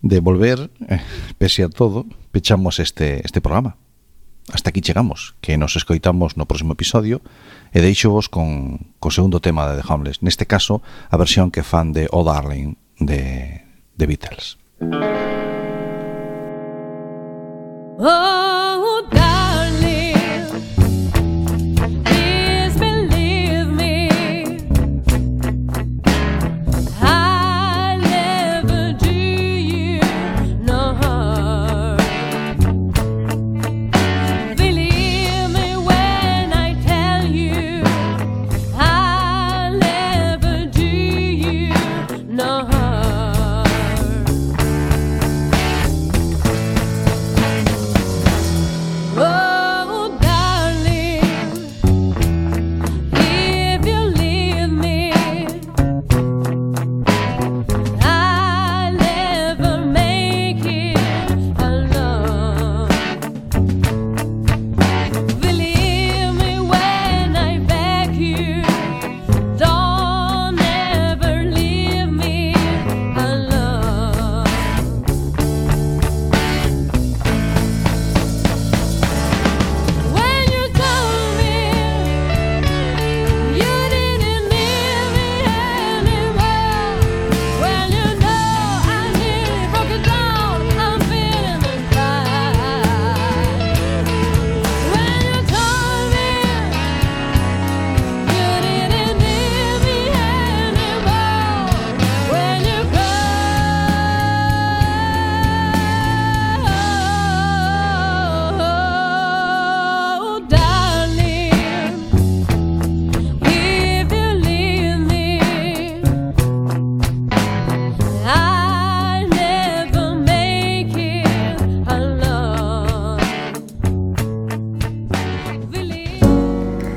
de volver, pese a todo, pechamos este programa. Hasta aquí chegamos, que nos escoitamos no próximo episodio, e deixovos co segundo tema de The Homeless, neste caso, a versión que fan de Oh Darling de Beatles.